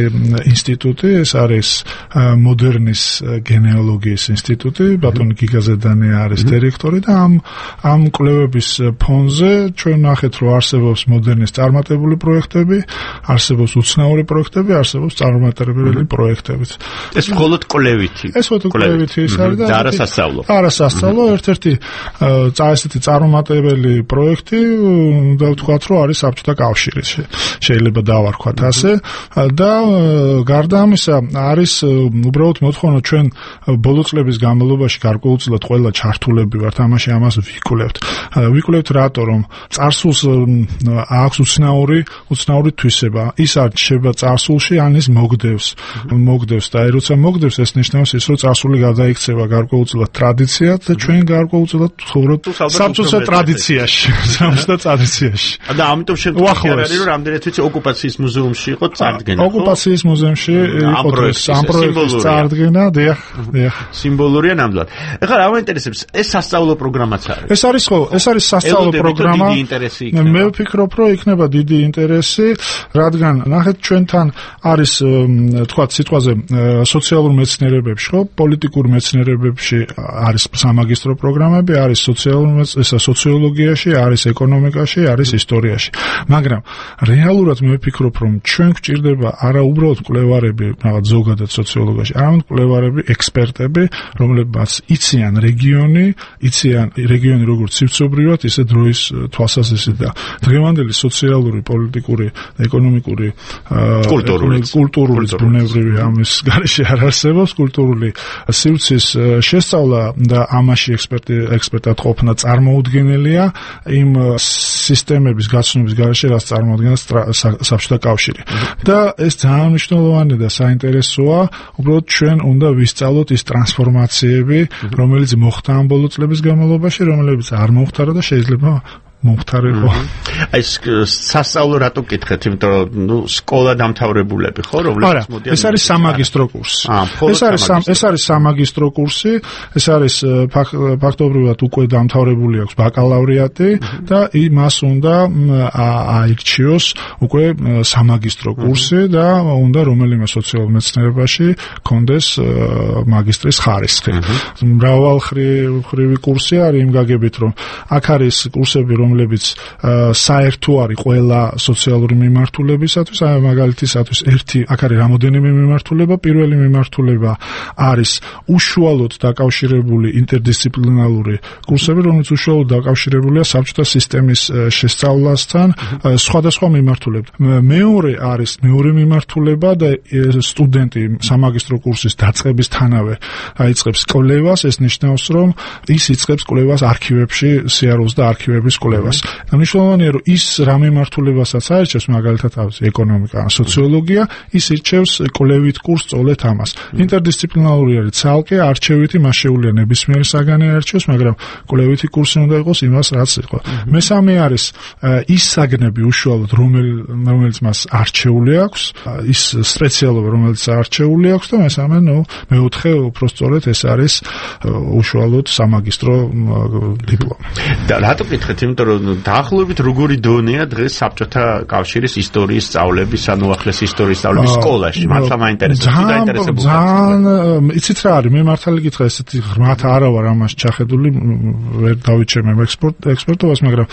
ინსტიტუტი, ეს არის მოდერნის გენეალოგიის ინსტიტუტი, ბატონი გიგაზედანი არის დირექტორი და ამ კვლევების ფონზე ჩვენ ნახეთ, რომ არსებობს მოდერნის წარმატებული პროექტები, არსებობს უცნაური პროექტები, არსებობს წარმატებული პროექტებიც. ეს მხოლოდ კვლევითი. ეს მხოლოდ კვლევითი ის არის და არასასწავლო. არასასწავლო, ერთ-ერთი ესეთი წარმატებელი პროექტი, და ვთქვათ, რომ არის საბჭოთა კავშირის. შეიძლება დავარქვათ ასე და გარდა ამისა არის უბრალოდ მოთხოვნა ჩვენ ბოლო წლების განმავლობაში გარკვეულწილად ყველა ჩართულები ვართ ამაში, ამას ვიკვლევთ რატო, რომ წარსულს აქვს უცნაური თვისება. ის არ ჩება წარსულში, ან ის მოგდევს და როცა მოგდევს, ეს ნიშნავს ის, რომ წარსული გადაიქცევა გარკვეულწილად ტრადიციად და ჩვენ გარკვეულწილად ვცხოვრობთ საბჭოთა ტრადიციაში. და ამიტომ შემთხვევაში არის, რომ რამდენიც ვიცი ოკუპაციის მუზეუმში იყო წარდგენა. ოკუპაციის მუზეუმში იყო ამ პროექტის წარდგენა, დიახ. სიმბოლურია ნამდვილად. ეხლა რა მაინტერესებს, ეს სასწავლო პროგრამაც არის. ეს არის სასწავლო პროგრამა. მე ვფიქრობ, რომ იქნება დიდი ინტერესი, რადგან ნახეთ ჩვენთან არის თქვათ სიტყვაზე სოციალურ მეცნიერებებში, ხო, პოლიტიკურ მეცნიერებებში არის სამაგისტრო პროგრამები, არის სოციოლოგიაში, არის ეკონომიკაში, არის ისტორიაში. მაგრამ რეალურად მე ვფიქრობ, რომ ჩვენ გვჭირდება არა უბრალოდ მკვლევარები, რაღაც ზოგადად სოციოლოგიაში, არამედ მკვლევარები, ექსპერტები, რომლებმაც იციან რეგიონი როგორც სივრცობრივად, ისე დროის თვალსაზრისით და დღევანდელი სოციალური, პოლიტიკური, ეკონომიკური, კულტურული, ბუნებრივი ამის გარეშე არ არსებობს კულტურული სივრცის შესწავლა და ამაში ექსპერტად ყოფნა წარმოუდგენელია იმ სისტემების გაცნობის გარეშე, რაც წარმოადგენს საბჭოთა კავშირი. და ეს ძალიან მნიშვნელოვანი და საინტერესოა, უბრალოდ ჩვენ უნდა ვისწავლოთ ის ტრანსფორმაციები, რომელიც მოხდა ამ ბოლო წლების განმავლობაში, რომელიც არ მოხდა და შეიძლება მომხდარიყო. ეს სასწავლო რატო გითხეთ, იმიტომ რომ სკოლა დამთავრებულები ხო, რომლებიც მოდიან. ეს არის სამაგისტრო კურსი. ეს არის სამაგისტრო კურსი, ეს არის ფაქტობრივად უკვე დამთავრებული აქვს ბაკალავრიატი და მას უნდა აირჩიოს უკვე სამაგისტრო კურსი და უნდა რომელიმე სოციალურ მეცნიერებაში კონდეს მაგისტრის ხარისხი. მრავალხრივი კურსი არის იმ გაგებით, რომ აქ არის კურსები, რომლებიც საერთო არის ყველა სოციალური მიმართულებისათვის, მაგალითისათვის აქ არის რამოდენიმე მიმართულება. პირველი მიმართულება არის უშუალოდ დაკავშირებული ინტერდისციპლინარული კურსები, რომელიც უშუალოდ დაკავშირებულია საბჭოთა სისტემის შესწავლასთან, სხვადასხვა მიმართულებებით. მეორე მიმართულება და სტუდენტი სამაგისტრო კურსის დაწყებისთანავე აიწყებს კვლევას, ეს ნიშნავს, რომ ის იწყებს კვლევას არქივებში, სიარულს და არქივების კვლევას. მნიშვნელოვანია, რომ ის რა მიმართულებასაც აირჩევს, მაგალითად ეკონომიკა ან სოციოლოგია, ის ირჩევს კვლევით კურსს სწავლეთ ამას. ინტერდისციპლინარული არის ცალკე არჩევითი, მას შეუძლია ნებისმიერი საგანი არჩევს, მაგრამ კვლევითი კურსი უნდა იყოს იმას, რაც იყო. მესამე არის ის საგნები უშუალოდ, რომელიც მას არჩეული აქვს, ის სპეციალობა, რომელიც არჩეული აქვს და მეოთხე უბრალოდ ეს არის უშუალოდ სამაგისტრო დიპლომი. და რატო გითხეთ, იმიტომ რომ დაახლოებით როგორი დონეა დღეს საბჭოთა კავშირის ისტორიის სწავლების, ანუ ახლეს ისტორიის სწავლების სკოლაში? მართლა მაინტერესებს, თუ დაინტერესებულ ხართ. ძალიან, იცით რა არის, მე მართალი გითხრა, ესეთი ღრმად არა ვარ ამას ჩახედული, ვერ დავიჩემ ექსპერტობას, მაგრამ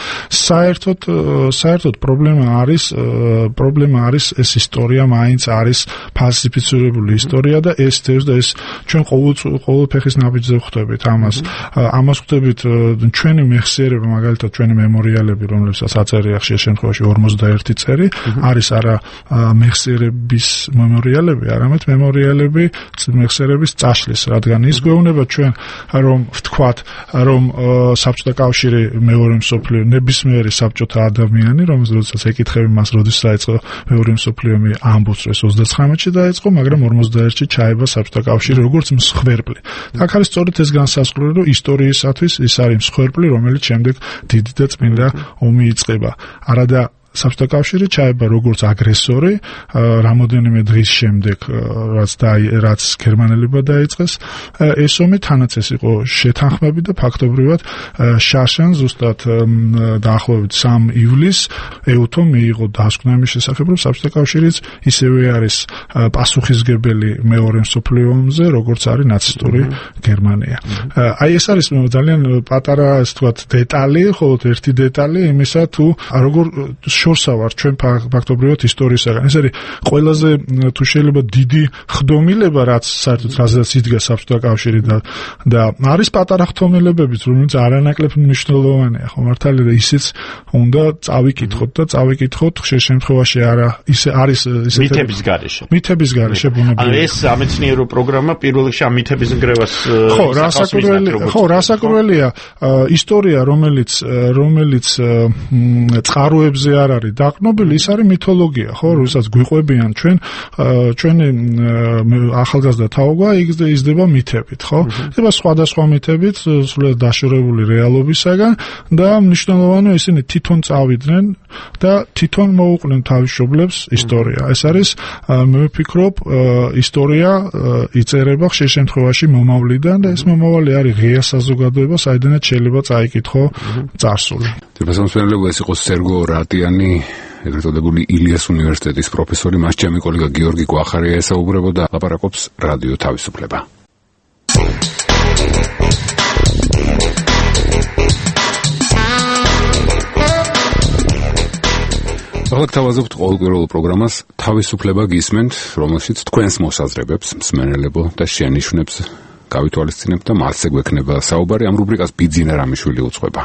საერთოდ პრობლემა არის ეს ისტორია, მაინც არის ფალსიფიცირებული ისტორია და ეს ჩვენ ყოველ ფეხის ნაბიჯზე ხვდებით ამას. ამას ხვდებით ჩვენი მეხსიერება, მაგალითად ჩვენი მემორიალები, რომლებსაც აწერია ხშირ შემთხვევაში 41 წერი, არის არა მეხსიერების მემორიალები, არამედ მემორიალები მეხსიერების წაშლის, რადგან ის გვეუბნება ჩვენ, რომ ვთქვათ, რომ საბჭოთა კავშირი მეორე მსოფლიო ნებისმიერი საბჭოთა ადამიანი, რომელსაც ეკითხები მას, როდის დაიწყო მეორე მსოფლიო ომი, ამბობს, რომ 39-ში დაიწყო, მაგრამ 41-ში ჩაება საბჭოთა კავშირი როგორც მსხვერპლი. აქ არის სწორედ ეს განსაზღვრული, რომ ისტორიისათვის ის არის მსხვერპლი, რომელიც შემდეგ დიდი და წმინდა ომი იწყება. არადა საბჭოთა კავშირი ჩაება როგორც აგრესორი რამოდენიმე დღის შემდეგ რაც გერმანელებმა დაიწყეს ეს ომი, თანაც ეს იყო შეთანხმები და ფაქტობრივად შაშან ზუსტად დაახლოებით 3 ივლისს ეუთო მიიღო დასკვნა იმის შესახებ, რომ საბჭოთა კავშირიც ისევე არის პასუხისგებელი მეორე მსოფლიო ომზე, როგორც არის ნაცისტური გერმანია. აი ეს არის ძალიან პატარა, ასე ვთქვათ, დეტალი, ხოლო ერთი დეტალი იმისა, თუ როგორ შორსა ვარ ჩვენ ფაქტობრივად ისტორიისაგან. ეს არის ყველაზე თუ შეიძლება დიდი ხდომილება, რაც საერთოდ რაზეც იდგა საბჭოთა კავშირი და არის პატარა ხდომილებებიც, რომელიც არანაკლებ მნიშვნელოვანია, ხო მართალია და ისიც უნდა წავიკითხოთ და წავიკითხოთ ხშირ შემთხვევაში არა ისე არის მითების გარეშე ბუნებრივია. ეს სამეცნიერო პროგრამა პირველ რიგში ამ მითების ნგრევას რასაკურველია ისტორია, რომელიც წყაროებზე არ არის დაყრდნობილი, ის არის მითოლოგია, ხო, როდესაც გვიყვებიან ჩვენი ახალგაზრდა თაობა იზრდება მითებით, ხო? იზრდება სხვადასხვა მითებით, სულად დაშორებული რეალობისაგან და მნიშვნელოვანია ისინი თვითონ წავიდნენ და თვითონ მოუყვნენ თავისუფლებს ისტორია. ეს არის მე ვფიქრობ ისტორია იწერება ხშირ შემთხვევაში მომავლიდან და ეს მომავალი არის ღია საზოგადოება, საიდანაც შეიძლება წაიკითხო წარსული. თვითონ ეს იყო სერგო რატიანი, ეგრეთ წოდებული ილიას უნივერსიტეტის პროფესორი, მას ჩემი კოლეგა გიორგი გვახარია ესაუბრებოდა, ლაპარაკობს რადიო თავისუფლება. ახლა გთავაზობთ ყოველკვირეულ პროგრამას თავისუფლება გისმენთ, რომელშიც თქვენს მოსაზრებებს, მსმენელებო და შენიშვნებს გავითვალისწინებთ და მასზე გვექნება საუბარი. ამ რუბრიკას ბიძინა რამიშვილი უძღვება.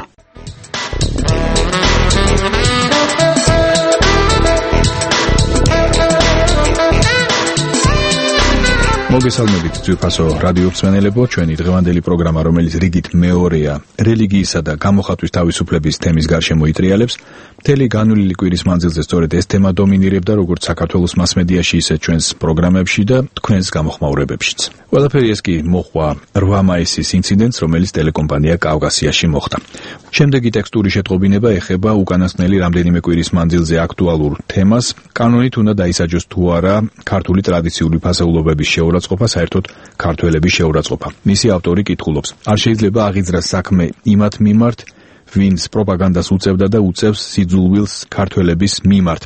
მოგესალმებით ძვირფასო რადიო მსმენელებო, ჩვენი დღევანდელი პროგრამა, რომელიც რიგით მეორეა, რელიგიისა და გამოხატვის თავისუფლების თემის გარშემო იტრიალებს, მთელი განვლილი კვირის მანძილზე სწორედ ეს თემა დომინირებდა როგორც საქართველოს მასმედიაში, ისე ჩვენს პროგრამებში და თქვენს გამოხმაურებებშიც. ყველაფერი ეს კი მოჰყვა 8 მაისის ინციდენტს, რომელიც ტელეკომპანია კავკასიაში მოხდა. შემდეგი ტექსტური შეტყობინება ეხება უკანასკნელი რამდენიმე კვირის მანძილზე აქტუალურ თემას, კანონით უნდა დაისაჯოს თუ არა ქართული ტრადიციული ფასეულობების შეურაცხყოფა, საერთოდ ქართველების შეურაცხყოფა. მისი ავტორი კითხულობს: არ შეიძლება აღიძრას საქმე იმათ მიმართ, ვინც პროპაგანდას უწევდა და უწევს სიძულვილს ქართველების მიმართ.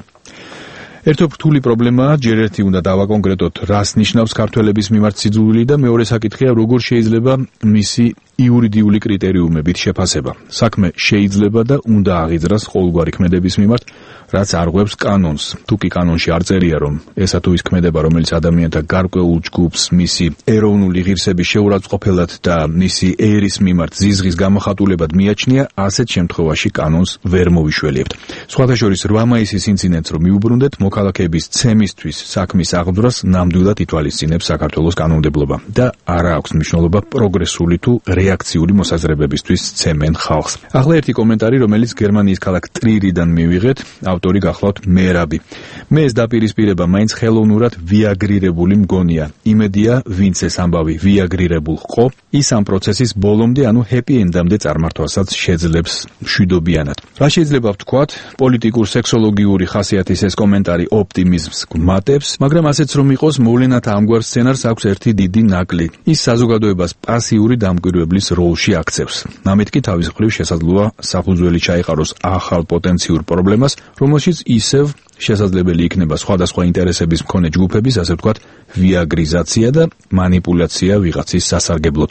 ერთო რთული პრობლემაა, ჯერ ერთი უნდა დავაკონკრეტოთ, რას ნიშნავს ქართველების მიმართ სიძულვილი და მეორე საკითხია, როგორ შეიძლება მისი იურიდიული კრიტერიუმებით შეფასება. საქმე შეიძლება და უნდა აღიძრას ყოველგვარი ქმედების მიმართ, რაც არღვევს კანონს. თუ კი კანონში არ წერია, რომ ესა თუ ის ქმედება, რომელიც ადამიანთა გარკვეულ ჯგუფს მისი ეროვნული ღირსების შეურაცხყოფელად და მისი ერის მიმართ ზიზღის გამოხატულებად მიაჩნია, ასეთ შემთხვევაში კანონს ვერ მოვიშველიებთ. სხვათა შორის 8 მაისის ინციდენტს რომ მიუბრუნდეთ, მოქალაქეების ცემისთვის საქმის აღძვრას ნამდვილად ითვალისწინებს საქართველოს კანონმდებლობა და არა აქვს მნიშვნელობა პროგრესული თუ რეაქციული მოსაზრებებისთვის ცემენ ხალხს. ახლა ერთი კომენტარი, რომელიც გერმანიის ქალაქ ტრირიდან მივიღეთ, ავტორი გახლავთ მერაბი. მე ეს დაპირისპირება მაინც ხელოვნურად ვიაგრირებული მგონია. იმედია, ვინც ეს ამბავი ვიაგრირებულ ყო, ის ამ პროცესის ბოლომდე, ანუ ჰეპი ენდამდე წარმართვასაც შეძლებს მშვიდობიანად. რა შეიძლება ვთქვათ, პოლიტიკურ სექსოლოგიური ხასიათის ეს კომენტარი ოპტიმიზმს გმატებს, მაგრამ ასეც რომ იყოს, მოვლენათა ამგვარ სცენარს აქვს ერთი დიდი ნაკლი. ის საზოგადოებას პასიური დამკვირვებლის როლში აქცევს. ამით კი თავის მხრივ შესაძლოა საფუძველი ჩაიყაროს ახალ პოტენციურ პრობლემას, რომელშიც ისევ შესაძლებელი იქნება სხვადასხვა ინტერესების მქონე ჯგუფების, ასე ვთქვათ, ვიაგრიზაცია და манипуляცია ვიღაცის სასარგებლოდ.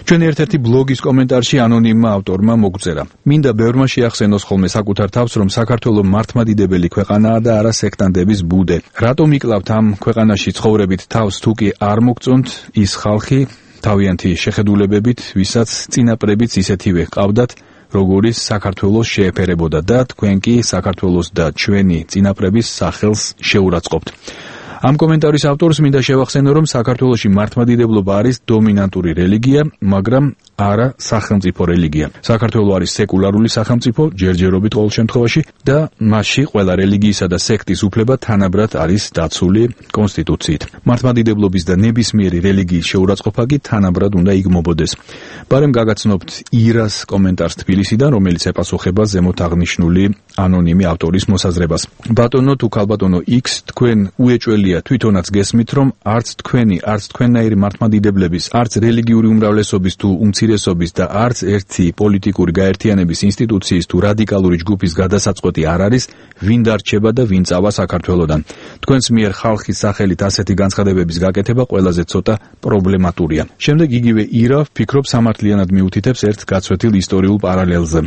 ჩვენი ერთ-ერთი ბლოგის კომენტარში ანონიმმა ავტორმა მოგწერა: მინდა ბევრმა შეახსენოს ხოლმე საკუთარ თავს, რომ საქართველო მართლმადიდებელი ქვეყანაა და არა სექტანტების ბუდე. რატომ იკლავთ ამ ქვეყანაში ცხოვრებით თავს, თუ კი არ მოგწონთ ის ხალხი თავიანთი შეხედულებებით, ვისაც წინაპრებიც ისეთივე ყავდათ, როგორიც საქართველოს შეეფერებოდა და თქვენ კი საქართველოს და ჩვენი წინაპრების სახელს შეურაცხყოფთ. ამ კომენტარის ავტორს მინდა შევახსენო, რომ საქართველოში მართლმადიდებლობა არის დომინანტური რელიგია, მაგრამ არა სახელმწიფო რელიგია. საქართველო არის სეკულარული სახელმწიფო, ჯერჯერობით ყოველ შემთხვევაში და მასში ყველა რელიგიისა და სექტის უფლება თანაბრად არის დაცული კონსტიტუციით. მართლმადიდებლობის და ნებისმიერი რელიგიის შეურაცხყოფა კი თანაბრად უნდა იგმობოდეს. ბარემ გაგაცნობთ ირას კომენტარს თბილისიდან, რომელიც ეპასუხება ზემოთ აღნიშნული ანონიმი ავტორის მოსაზრებას. ბატონო თუ ქალბატონო X, თქვენ უეჭველია თვითონაც გესმით, რომ არც თქვენი, არც თქვენნაირი მართლმადიდებლების, არც რელიგიური უმრავლესობის თუ უმცირესობის და არც ერთი პოლიტიკური გაერთიანების ინსტიტუციის თუ რადიკალური ჯგუფის გადასაწყვეტი არ არის, ვინ დარჩება და ვინ წავა საქართველოდან. თქვენს მიერ ხალხის სახელით ასეთი განცხადებების გაკეთება ყველაზე ცოტა პრობლემატურია. შემდეგ იგივე ირა ფიქრობს სამართლიანად მიუთითებს ერთ გაცვეთილ ისტორიულ პარალელზე.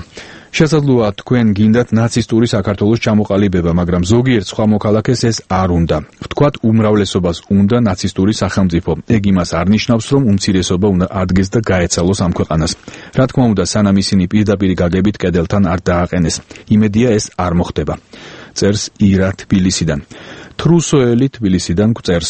შესაძლოა თქვენ გინდათ ნაცისტური საქართველოს ჩამოყალიბება, მაგრამ ზოგიერთ სხვა მოქალაქეს ეს არ უნდა. ვთქვათ, უმრავლესობას უნდა ნაცისტური სახელმწიფო. ეგ იმას არ ნიშნავს, რომ უმცირესობა უნდა ადგეს და გაეცალოს ამ ქვეყანას. რა თქმა უნდა, სანამ ისინი პირდაპირი გაგებით კედელთან არ დააყენეს. იმედია ეს არ მოხდება. წერს ირა თბილისიდან. თრუსოელი თბილისიდან გვწერს.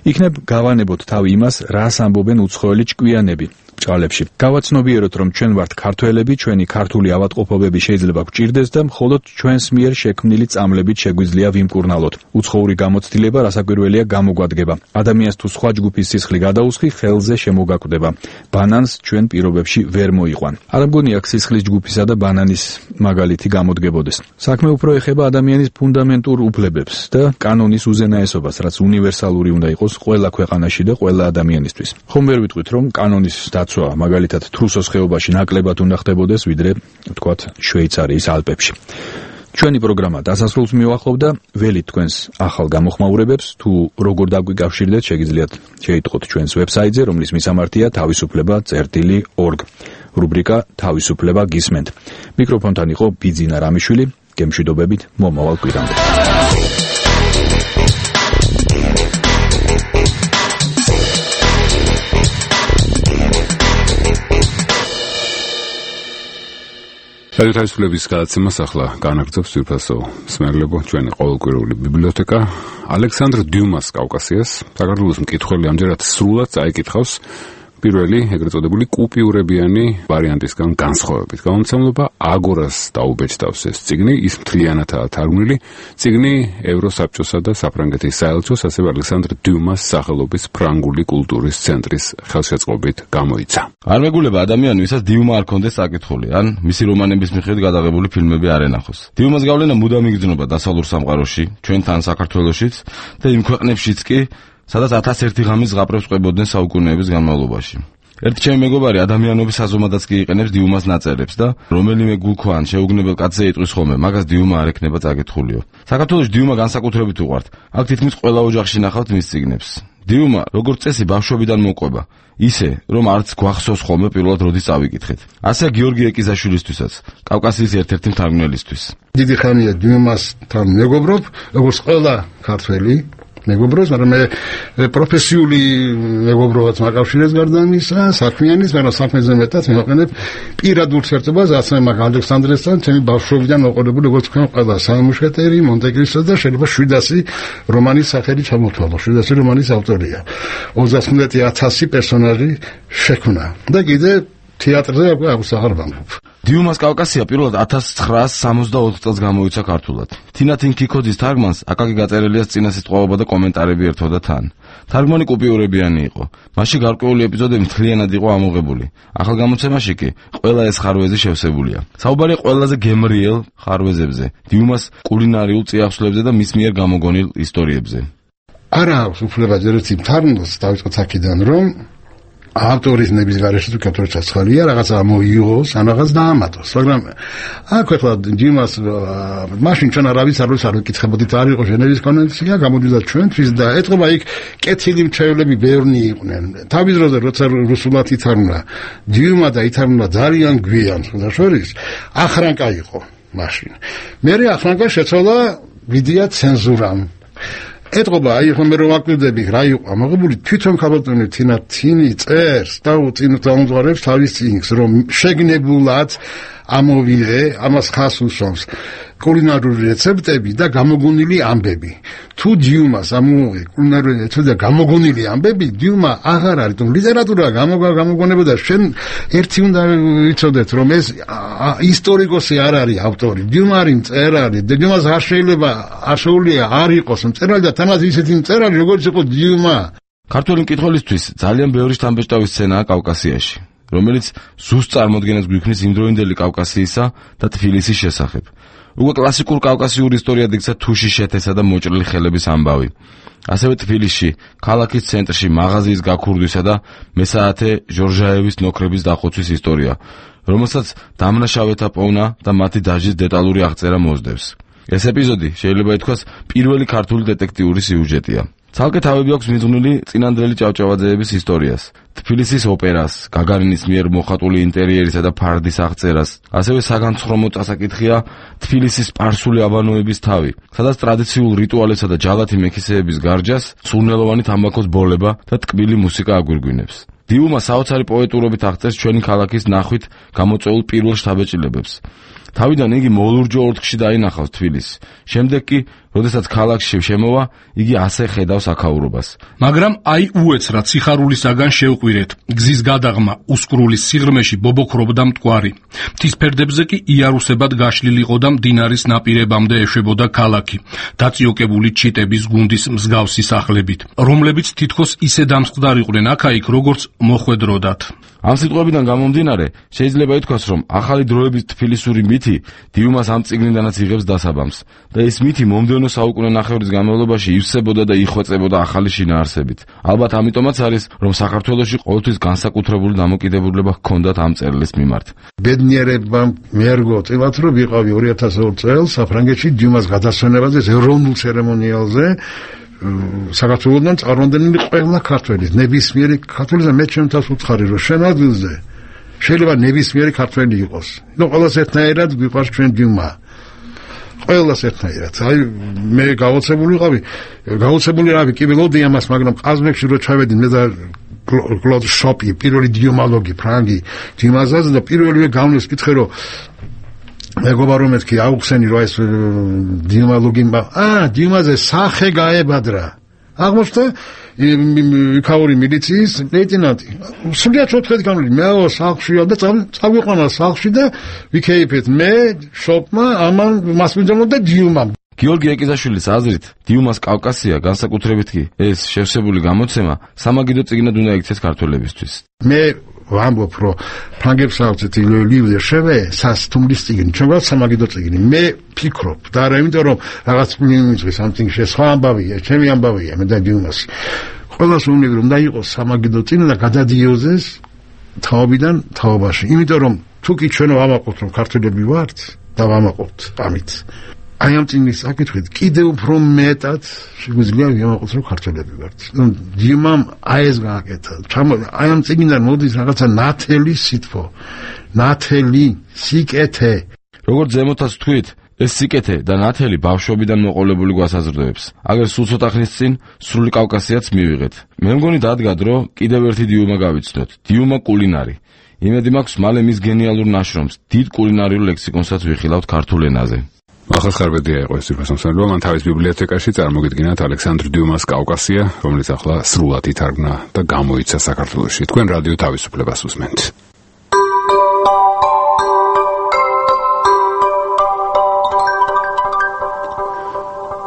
იქნებ გავანებოთ თავი იმას, რას ამბობენ უცხოელი ჭკვიანები. ჭალებში. გავაცნობიეროთ, რომ ჩვენ ვართ ქართველები, ჩვენი ქართული ავადმყოფობები შეიძლება გვჭირდეს და მხოლოდ ჩვენს მიერ შექმნილი წამლებით შეგვიძლია ვიმკურნალოთ. უცხოური გამოცდილება რასაკვირველია გამოგვადგება. ადამიანს თუ სხვა ჯგუფის სისხლი გადაუსხი, ხელზე შემოგაკვდება. ბანანს ჩვენ პირობებში ვერ მოიყვან. არ მგონი აქ სისხლის ჯგუფისა და ბანანის მაგალითი გამოდგებოდეს. საქმე უფრო ეხება ადამიანის ფუნდამენტურ უფლებებს და კანონის უზენაესობას, რაც უნივერსალური უნდა იყოს ყველა ქვეყანაში და ყველა ადამიანისთვის. ხომ ვერ ვიტყვით, რომ კანონის დაცვა მაგალითად თრუსოს ხეობაში ნაკლებად უნდა ხდებოდეს, ვიდრე ვთქვათ შვეიცარიის ალპებში. ჩვენი პროგრამა დასასრულს მივახლოვ და ველით თქვენს ახალ გამოხმაურებებს, თუ როგორ დაგვიკავშირდეთ, შეგიძლიათ შეიტყოთ ჩვენს ვებსაიტზე, რომლის მისამართია თავისუფლება.org. რუბრიკა თავისუფლება გისმენთ. მიკროფონთან იყო ბიძინა რამიშვილი, გემშვიდობებით მომავალ კვირამდე. თავისუფლების გადაცემას ახლა განაგრძობს ძვირფასო მსმენელებო ჩვენი ყოველკვირეული ბიბლიოთეკა. ალექსანდრ დიუმას კავკასიას საქართველოს მკითხველი ამჯერად სრულად წაიკითხავს პირველი ეგრეთ წოდებული კუპიურებიანი ვარიანტისგან განსხვავებით. გამომცემლობა აგორას დაუბეჭდავს ეს წიგნი, ის მთლიანადაა თარგმნილი. წიგნი ევროსაბჭოსა და საფრანგეთის საელჩოს, ასევე ალექსანდრ დიუმას სახელობის ფრანგული კულტურის ცენტრის ხელშეწყობით გამოიცა. არ მეგულება ადამიანი, ვისაც დიუმა არ ქონდეს საკითხული, ან მისი რომანების მიხედვით გადაღებული ფილმები არ ენახოს. დიუმას გავლენა მუდამ იგრძნობა დასავლურ სამყაროში, ჩვენთან საქართველოშიც და იმ ქვეყნებშიც კი, სადაც 1001 ღამის ზღაპრებს ყვებოდნენ საუკუნეების განმავლობაში. ერთი ჩემი მეგობარი ადამიანობის აზომადაც კი იყენებს დიუმას ნაწერებს და რომელიმე გულქვან შეუგნებელ კაცზე იტყვის ხოლმე, მაგას დიუმა არ ექნება წაკითხულიო. საქართველოში დიუმა განსაკუთრებით უყვართ. აქ თითქმის ყველა ოჯახში ნახავთ მის წიგნებს. დიუმა, როგორც წესი, ბავშვობიდან მოყვება. ისე, რომ არც გვახსოვს ხოლმე პირველად როდის წავიკითხეთ. ასე გიორგი ეკიზაშვილისთვისაც, კავკასიის ერთ-ერთი მთარგმნელისთვის. დიდი ხანია დიუმასთან მეგობრობ, როგორც ყველა ქართველი მეგობრობს, მაგრამ მე პროფესიული მეგობრობაც მაკავშირებს გარდა ამისა, საქმიანის, მაგრამ საქმეზე მეტად მივაყენებ პირად ურთიერთობას, ასე მაგ ალექსანდრესთან, ჩემი ბავშვობიდან მოყოლებული, როგორც თქვენ ყველა სამუშკეტერი, მონტე-კრისტო და შეიძლება 700 რომანის სახელი ჩამოთვალო. 700 რომანის ავტორია. 35,000 პერსონაჟი შექმნა. და კიდე თეატრზე აღარ ვამბობ. დიუმას კავკასია პირველად 1964 წელს გამოიცა ქართულად. თინათინ ქიქოძის თარგმანს აკაკი გაწერელიას წინასიტყვაობა და კომენტარები ერთვოდა თან. თარგმანი კუპიურებიანი იყო. მასში გარკვეული ეპიზოდები მთლიანად იყო ამოღებული. ახალ გამოცემაში კი ყველა ეს ხარვეზი შევსებულია. საუბარია ყველაზე გემრიელ ხარვეზებზე, დიუმას კულინარიულ წიაღსვლებზე და მის მიერ გამოგონილ ისტორიებზე. არა აქვს უფლება ერთი თარგმნას დავიწყოთ აქედან, რომ ავტორის ნების გარეშე თუ კეთური ჩაცხალია რაღაცა მოიგოს, ან რაღაც დაამატოს. მაგრამ აქ ახლა დიუმას მაშინ ჩვენ არავის არ ვიკითხებოდით, არ იყო ჟენევის კონვენცია, გამოდიოდა ჩვენთვის და ეთყობა იქ კეთილი მრჩევლები ბევრნი იყვნენ. თავის დროზე როცა რუსულად ითარგმნა დიუმა და ითარგმნა ძალიან გვიან, სხვა შორის ახრანკა იყო მაშინ. მერე ახრანკა შეცვალა ვიდეო ცენზურამ. ეთყობა, აი ხომ მე რომ აკვირდები რა იყო ამოღებული თვითონ ქალბატონი თინათინი წერს და უწინ დაუმზღარებს თავის წიგნს, რომ შეგნებულად ამოვიდე, ამას ხას უსვამს კულინარული რეცეპტები და გამოგონილი ამბები. თუ დიუმას ამოვიღე კულინარული რეცეპტები და გამოგონილი ამბები, დიუმა აღარ არის, თუ ლიტერატურა გამოგონებოდა, შენ ერთი უნდა ვიცოდეთ, რომ ეს ისტორიკოსი არ არის ავტორი, დიუმა არის მწერალი, დიუმას არ შეიძლება ასეულია არ იყოს მწერალი და თანაც ისეთი მწერალი, როგორც იყო დიუმა. ქართველი მკითხველისთვის ძალიან ბევრი შთამბეჭდავი სცენაა კავკასიაში, რომელიც ზუსტ წარმოდგენას გვიქმნის იმდროინდელი კავკასიისა და თბილისის შესახებ. უკვე კლასიკურ კავკასიურ ისტორიად იქცა თუშის შეთესა და მოჭრილი ხელების ამბავი. ასევე თბილისში, ქალაქის ცენტრში მაღაზიის გაქურდვისა და მესაათე ჟორჟაევის ნოქრების დახოცვის ისტორია, რომელსაც დამნაშავეთა პოვნა და მათი დაჟის დეტალური აღწერა მოსდევს. ეს ეპიზოდი შეიძლება ითქვას პირველი ქართული დეტექტიური სიუჟეტია. ცალკე თავები აქვს მიძღვნილი წინანდელი ჭავჭავაძეების ისტორიას, თბილისის ოპერას, გაგარინის მიერ მოხატული ინტერიერისა და ფარდის აღწერას, ასევე საგანცხრომო წასაკითხია თბილისის სპარსული აბანოების თავი, სადაც ტრადიციულ რიტუალებსა და ჯალათი მექისეების გარჯას სურნელოვანი თამბაქოს ბოლება და ტკბილი მუსიკა აგვირგვინებს. დიუმა საოცარი პოეტურობით აღწერს ჩვენი ქალაქის ნახვით გამოწვეულ პირველ შთაბეჭდილებებს. თავიდან იგი მოლურჯო ორთქში დაინახავს თბილისს. შემდეგ კი, როდესაც ქალაქში შემოვა, იგი ასე ხედავს აქაურობას. მაგრამ აი უეცრად სიხარულისაგან შევყვირეთ. გზის გადაღმა უსკრულის სიღრმეში ბობოქრობდა მტკვარი. მთის ფერდებზე კი იარუსებად გაშლილი იყო და მდინარის ნაპირებამდე ეშვებოდა ქალაქი, დაწიოკებული ჩიტების გუნდის მსგავსი სახლებით, რომლებიც თითქოს ისე დამსხდარიყვნენ აქა-იქ, როგორც მოხვედროდათ. ამ სიტყვებიდან გამომდინარე, შეიძლება ითქვას, რომ ახალი დროების თბილისური მითი დიუმას ამ წიგნიდანაც იღებს დასაბამს და ეს მითი მომდევნო საუკუნე ნახევრის განმავლობაში ივსებოდა და იხვეწებოდა ახალი შინაარსებით. ალბათ ამიტომაც არის, რომ საქართველოში ყოველთვის განსაკუთრებული დამოკიდებულება ჰქონდათ ამ წერილის მიმართ. ბედნიერებამ მიერგო წილად, რომ ვიყავი 2002 წელს საფრანგეთში დიუმას გადასვენებაზე ეროვნულ ცერემონიალზე. საქართველოსთან წარმომადგენელი ყველა ქართველი, ნებისმიერი ქართველი და მე ჩემთვის უცხარი რომ შენ ადგილზე შეიძლება ნებისმიერი ქართველი იყოს. ნუ ყველას ერთნაირად გვიყვარს ჩვენ დიუმა. ყველას ერთნაირად. აი მე გაოცებული რავი კი ველოდი ამას, მაგრამ ყაზბეგში რო ჩავედი მე და კლოდ შოპი, პირველი დიუმალოგი ფრანგი დიუმაზაზე და პირველივე გამნეს კითხე რომ მეგობრებო რომ მეთქი აუხსენი რომ ეს დიუმალოგი დიუმაზე სახე გაებადრა. აღმოჩნდა იქაური მილიციის ლეიტენანტი. სულიად 4 გამული მე სახლშია და წავიყვანა სახლში და ვიქეიფეთ მე შოპმა ამან მასვინჯანო და დიუმამ. გიორგი ეკიზაშვილის აზრით, დიუმას კავკასია განსაკუთრებით კი ეს შევსებული გამოცემა სამაგიდო წიგნად უნდა იქცეს ქართველებისთვის. მე ვამბობ, რომ ფრანგებს აუცეთ ლივდე შევე სასტუმრის წიგნი, ჩვენგან სამაგიდო წიგნი. მე ფიქრობ და არა იმიტომ რომ რაღაც მიმიწვის something სხვა ამბავია, ჩემი ამბავია მე და დიუმას. ყველას უნდა რომ დაიყოს სამაგიდო წიგნი და გადადიოზეს თაობიდან თაობაში. იმიტომ რომ თუ კი ჩვენ ვამაყობთ რომ ქართველები ვართ და ვამაყობთ ამით. აი ამ წიგნის საკითხით კიდევ უფრო მეტად შეგვიძლია ვიმაყოთ რომ ქართველები ვართ. დიუმამ აი ეს გააკეთა. აი ამ წიგნიდან მოდის რაღაცა ნათელი სითბო, ნათელი სიკეთე. როგორც ზემოთაც თქვით, ეს სიკეთე და ნათელი ბავშვობიდან მოყოლებული გვასაზრდოებს. აგერ სულ ცოტა ხნის წინ სრული კავკასიაც მივიღეთ. მე მგონი დადგა დრო კიდევ ერთი დიუმა გავიცნოთ. დიუმა კულინარი. იმედი მაქვს მალე მის გენიალურ ნაშრომს, დიდ კულინარიულ ლექსიკონსაც ვიხილავთ ქართულ ენაზე. ახალხარბედია იყო ეს თვითმსახურება, მან თავის ბიბლიოთეკაში წარმოგიდგინათ ალექსანდრ დიუმას კავკასია, რომელიც ახლა სრულად ითარგმნა და გამოიცა საქართველოში. თქვენ რადიო თავისუფლებას უსმენთ.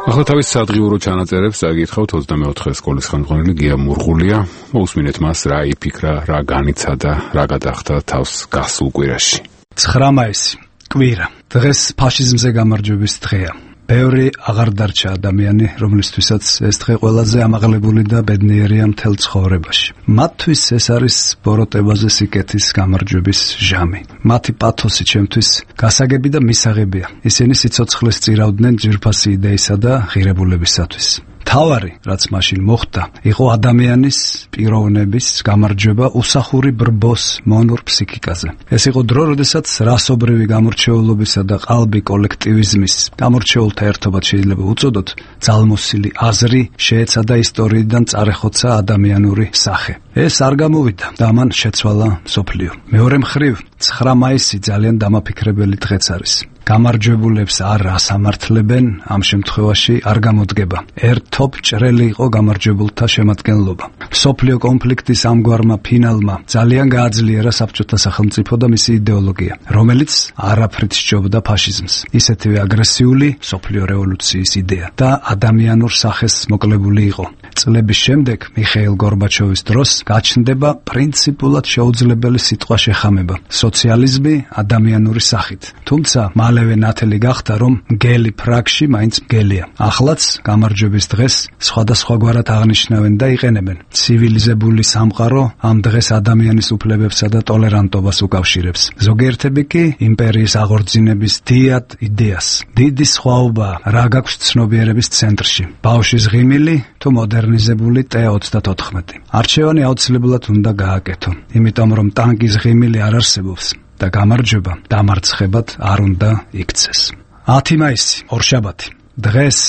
ახლა თავის სადღიურო ჩანაწერებს წაგითხავთ 24 სკოლის ხელმძღვანელი გია მურღულია. მოусმინეთ მას რა იფიქრა, რა განიცადა, რა გადახდა თავს გასულ კვირაში. 9 მაისი კვირა. დღეს ფაშიზმზე გამარჯვების დღეა. ბევრი აღარ დარჩა ადამიანი, რომლისთვისაც ეს დღე ყველაზე ამაღლებული და ბედნიერია მთელ ცხოვრებაში. მათთვის ეს არის ბოროტებაზე სიკეთის გამარჯვების ჟამი. მათი პათოსი ჩემთვის გასაგები და მისაღებია. ისინი სიცოცხლეს წირავდნენ ძვირფასი იდეისა და ღირებულებისათვის. თავარი, რაც მაშინ მოხდა, იყო ადამიანის პიროვნების გამარჯვება უსახური ბრბოს მონურ ფსიქიკაზე. ეს იყო დრო, როდესაც რასობრივი გამორჩეულობისა და ყალბი კოლექტივიზმის გამორჩეულთა ერთობად შეიძლება უწოდოთ, ძალმოსილი აზრი შეეცადა ისტორიიდან წარეხოცა ადამიანური სახე. ეს არ გამოვიდა და მან შეცვალა მსოფლიო. მეორე მხრივ 9 მაისი ძალიან დამაფიქრებელი დღეც არის. გამარჯვებულებს არ ასამართლებენ, ამ შემთხვევაში არ გამოდგება. ერთობ ჭრელი იყო გამარჯვებულთა შემადგენლობა. მსოფლიო კონფლიქტის ამგვარმა ფინალმა ძალიან გააძლიერა საბჭოთა სახელმწიფო და მისი იდეოლოგია, რომელიც არაფრით სჯობდა ფაშიზმს. ისეთივე აგრესიული მსოფლიო რევოლუციის იდეა და ადამიანურ სახეს მოკლებული იყო. წლების შემდეგ მიხეილ გორბაჩოვის დროს გაჩნდება პრინციპულად შეუძლებელი სიტყვა შეხამება. სოციალიზმი ადამიანური სახით. თუმცა მალევე ნათელი გახდა, რომ მგელი ფრაგში მაინც მგელია. ახლაც გამარჯვების დღეს სხვადასხვაგვარად აღნიშნავენ და იყენებენ. ცივილიზებული სამყარო ამ დღეს ადამიანის უფლებებსა და ტოლერანტობას უკავშირებს. ზოგიერთები კი იმპერიის აღორძინების დიად იდეას. დიდი სხვაობა რა გაქვს ცნობიერების ცენტრში. ბავშვის ღიმილი თუ მოდერნიზებული T-34. არჩევანი აუცილებლად უნდა გააკეთო, იმიტომ რომ ტანკის ღიმილი არ არსებობს და გამარჯვება დამარცხებად არ უნდა იქცეს. 10 მაისი, ორშაბათი. დღეს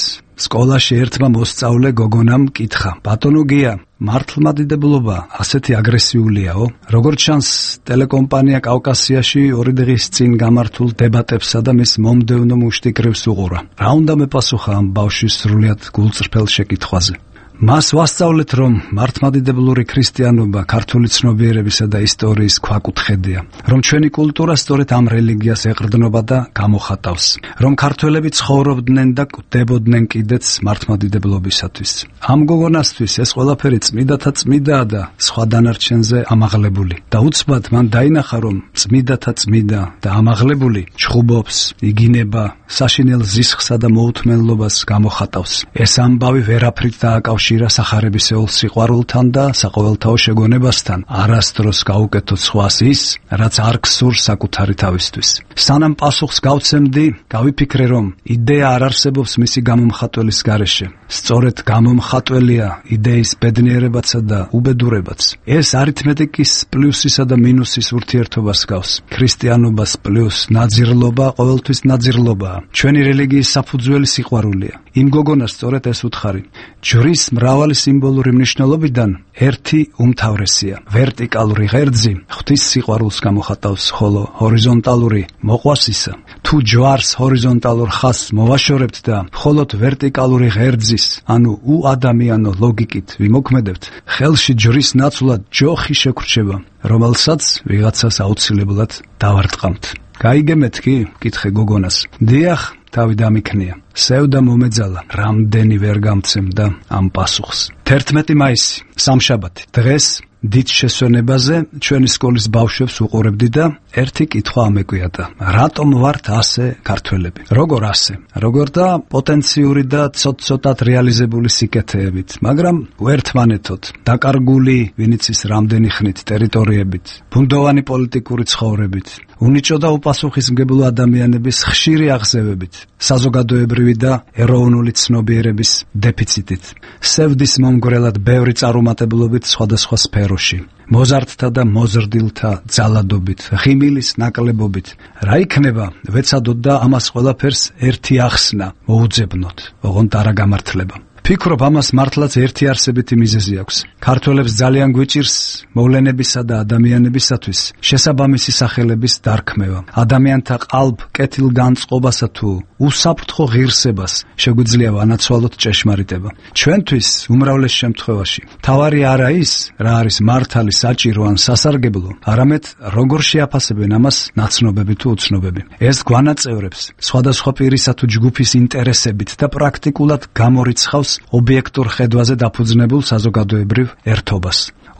სკოლაში ერთმა მოსწავლე გოგონამ კითხა: ბატონო გია, მართლმადიდებლობა ასეთი აგრესიულიაო? როგორც ჩანს, ტელეკომპანია კავკასიაში 2 დღის წინ გამართულ დებატებსა და მის მომდევნო მუშტიკრებს უყურა. რა უნდა მეპასუხა ამ ბავშვის სრულიად გულწრფელ შეკითხვაზე? მას ვასწავლეთ, რომ მართლმადიდებლური ქრისტიანობა ქართული ცნობიერებისა და ისტორიის ქვაკუთხედია, რომ ჩვენი კულტურა სწორედ ამ რელიგიას ეყრდნობა და გამოხატავს, რომ ქართველები ცხოვრობდნენ და კვდებოდნენ კიდეც მართლმადიდებლობისათვის. ამ გოგონასთვის ეს ყველაფერი წმიდათა წმიდაა და სხვა დანარჩენზე ამაღლებული. და უცბად მან დაინახა, რომ წმიდათა წმიდა და ამაღლებული ჩხუბობს, იგინება, საშინელ ზისხსა და მოუთმენლობას გამოხატავს. ეს ამბავი ვერაფრით დააკავშირა სახარებისეულ სიყვარულთან და საყოველთაო შეგონებასთან, არასდროს გაუკეთო სხვას ის, რაც არ გსურს საკუთარი თავისთვის. სანამ პასუხს გავცემდი, გავიფიქრე, რომ იდეა არ არსებობს მისი გამომხატველის გარეშე. სწორედ გამომხატველია იდეის ბედნიერებაცა და უბედურებაც. ეს არითმეტიკის პლუსისა და მინუსის ურთიერთობას გავს. ქრისტიანობას პლუს ნაძირლობა ყოველთვის ნაძირლობაა. ჩვენი რელიგიის საფუძველი სიყვარულია. იმ გოგონას სწორედ ეს უთხარი. ჯვრის მრავალი სიმბოლური მნიშვნელობიდან ერთი უმთავრესია. ვერტიკალური ღერძი ღვთის სიყვარულს გამოხატავს, ხოლო ჰორიზონტალური მოყვასისა. თუ ჯვარს ჰორიზონტალურ ხაზს მოვაშორებთ და მხოლოდ ვერტიკალური ღერძის, ანუ უადამიანო ლოგიკით ვიმოქმედებთ, ხელში ჯვრის ნაცვლად ჯოხი შეგრჩება, რომელსაც ვიღაცას აუცილებლად დავარტყამთ. გაიგემეთ კი? კითხე გოგონას. დიახ, თავი დამიქნია. სევდა მომეძალა, რამდენი ვერ გამცემდა ამ პასუხს. 11 მაისი, სამშაბათი. დღეს დიდ შესვენებაზე ჩვენი სკოლის ბავშვებს უყურებდი და ერთი კითხვა ამეკვიადა: რატომ ვართ ასე ქართველები? როგორ ასე? როგორ და პოტენციური და ცოტ-ცოტად რეალიზებული სიკეთეებით, მაგრამ უერთმანეთოდ, დაკარგული ვინიცის რამდენი ხნით ტერიტორიებით, ბუნდოვანი პოლიტიკური ცხოვრებით, უნიჭო და უპასუხისმგებლო ადამიანების ხშირი აღზევებით, საზოგადოებრივი და ეროვნული ცნობიერების დეფიციტით, სევდის მომგვრელად ბევრი წარუმატებლობით სხვადასხვა სფეროში, მოზარდთა და მოზრდილთა ძალადობით, ღიმილის ნაკლებობით. რა იქნება, ვეცადოთ და ამას ყველაფერს ერთი ახსნა მოუძებნოთ, ოღონდ არა გამართლება. ფიქრობ, ამას მართლაც ერთი არსებითი მიზეზი აქვს. ქართველებს ძალიან გვიჭირს მოვლენებისა და ადამიანებისათვის შესაბამისი სახელების დარქმევა. ადამიანთა ყალბ კეთილგანწყობასა თუ უსაფრთხო ღირსებას შეგვიძლია ვანაცვალოთ ჭეშმარიტება. ჩვენთვის უმრავლეს შემთხვევაში თავარი არა ის, რა არის მართალი, საჭირო ან სასარგებლო, არამედ როგორ შეაფასებენ ამას ნაცნობები თუ უცნობები. ეს გვანაწევრებს სხვადასხვა პირისა თუ ჯგუფის ინტერესებით და პრაქტიკულად გამორიცხავს ობიექტურ ხედვაზე დაფუძნებულ საზოგადოებრივ ერთობას.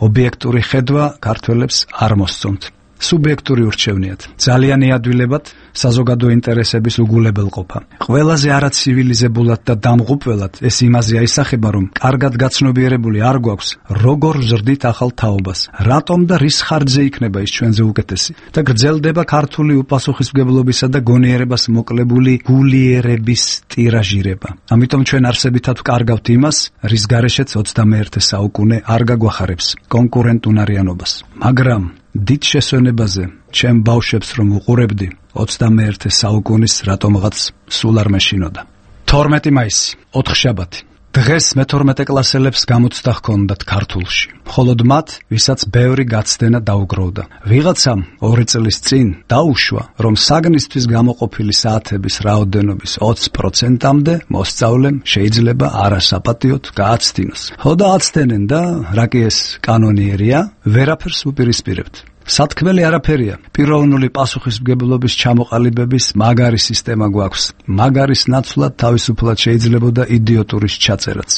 ობიექტური ხედვა ქართველებს არ მოსწონთ. სუბიექტური ურჩევნიათ. ძალიან იადვილებად საზოგადო ინტერესების უგულებელყოფა. ყველაზე არაცივილიზებულად და დამღუპველად ეს იმაზე აისახება, რომ კარგად გაცნობიერებული არ გვაქვს, როგორ ვზრდით ახალ თაობას, რატომ და რის ხარჯზე იქნება ის ჩვენზე უკეთესი და გრძელდება ქართული უპასუხისმგებლობისა და გონიერებას მოკლებული გულიერების ტირაჟირება. ამიტომ ჩვენ არსებითად ვკარგავთ იმას, რის გარეშეც 21 საუკუნე არ გაგვახარებს კონკურენტუნარიანობას. მაგრამ დიდ შესვენებაზე ჩემ ბავშვებს რომ უყურებდი, 21 საუკუნის რატომღაც სულ არ მეშინოდა. 12 მაისი, ოთხშაბათი. დღეს მე-12 კლასელებს გამოცდა ჰქონდათ ქართულში, მხოლოდ მათ, ვისაც ბევრი გაცდენა დაუგროვდა. ვიღაცამ 2 წლის წინ დაუშვა, რომ საგნისთვის გამოყოფილი საათების რაოდენობის 20%-მდე მოსწავლემ შეიძლება არასაპატიოდ გააცდინოს. ხო და აცდენენ და რა კი ეს კანონიერია, ვერაფერს უპირისპირებთ. სათქმელი არაფერია. პიროვნული პასუხისმგებლობის ჩამოყალიბების მაგარი სისტემა გვაქვს. მაგარის ნაცვლად თავისუფლად შეიძლებოდა იდიოტურის ჩაწერაც.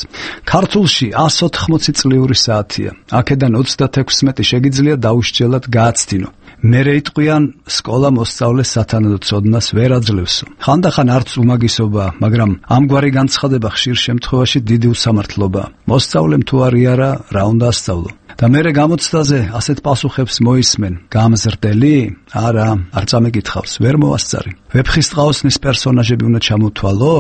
ქართულში 180 წლიური საათია. აქედან 36 შეგიძლია დაუსჯელად გააცდინო. მერე იტყვიან, სკოლა მოსწავლეს სათანადო ცოდნას ვერ აძლევსო. ხანდახან არც უმაგისობა, მაგრამ ამგვარი განცხადება ხშირ შემთხვევაში დიდი უსამართლობაა. მოსწავლემ თუ არა, რა უნდა ასწავლო? და მერე გამოცდაზე ასეთ პასუხებს მოისმენ. გამზრდელი? არა, არ წამეკითხავს, ვერ მოასწარი. ვეფხისტყაოსნის პერსონაჟები უნდა ჩამოთვალო?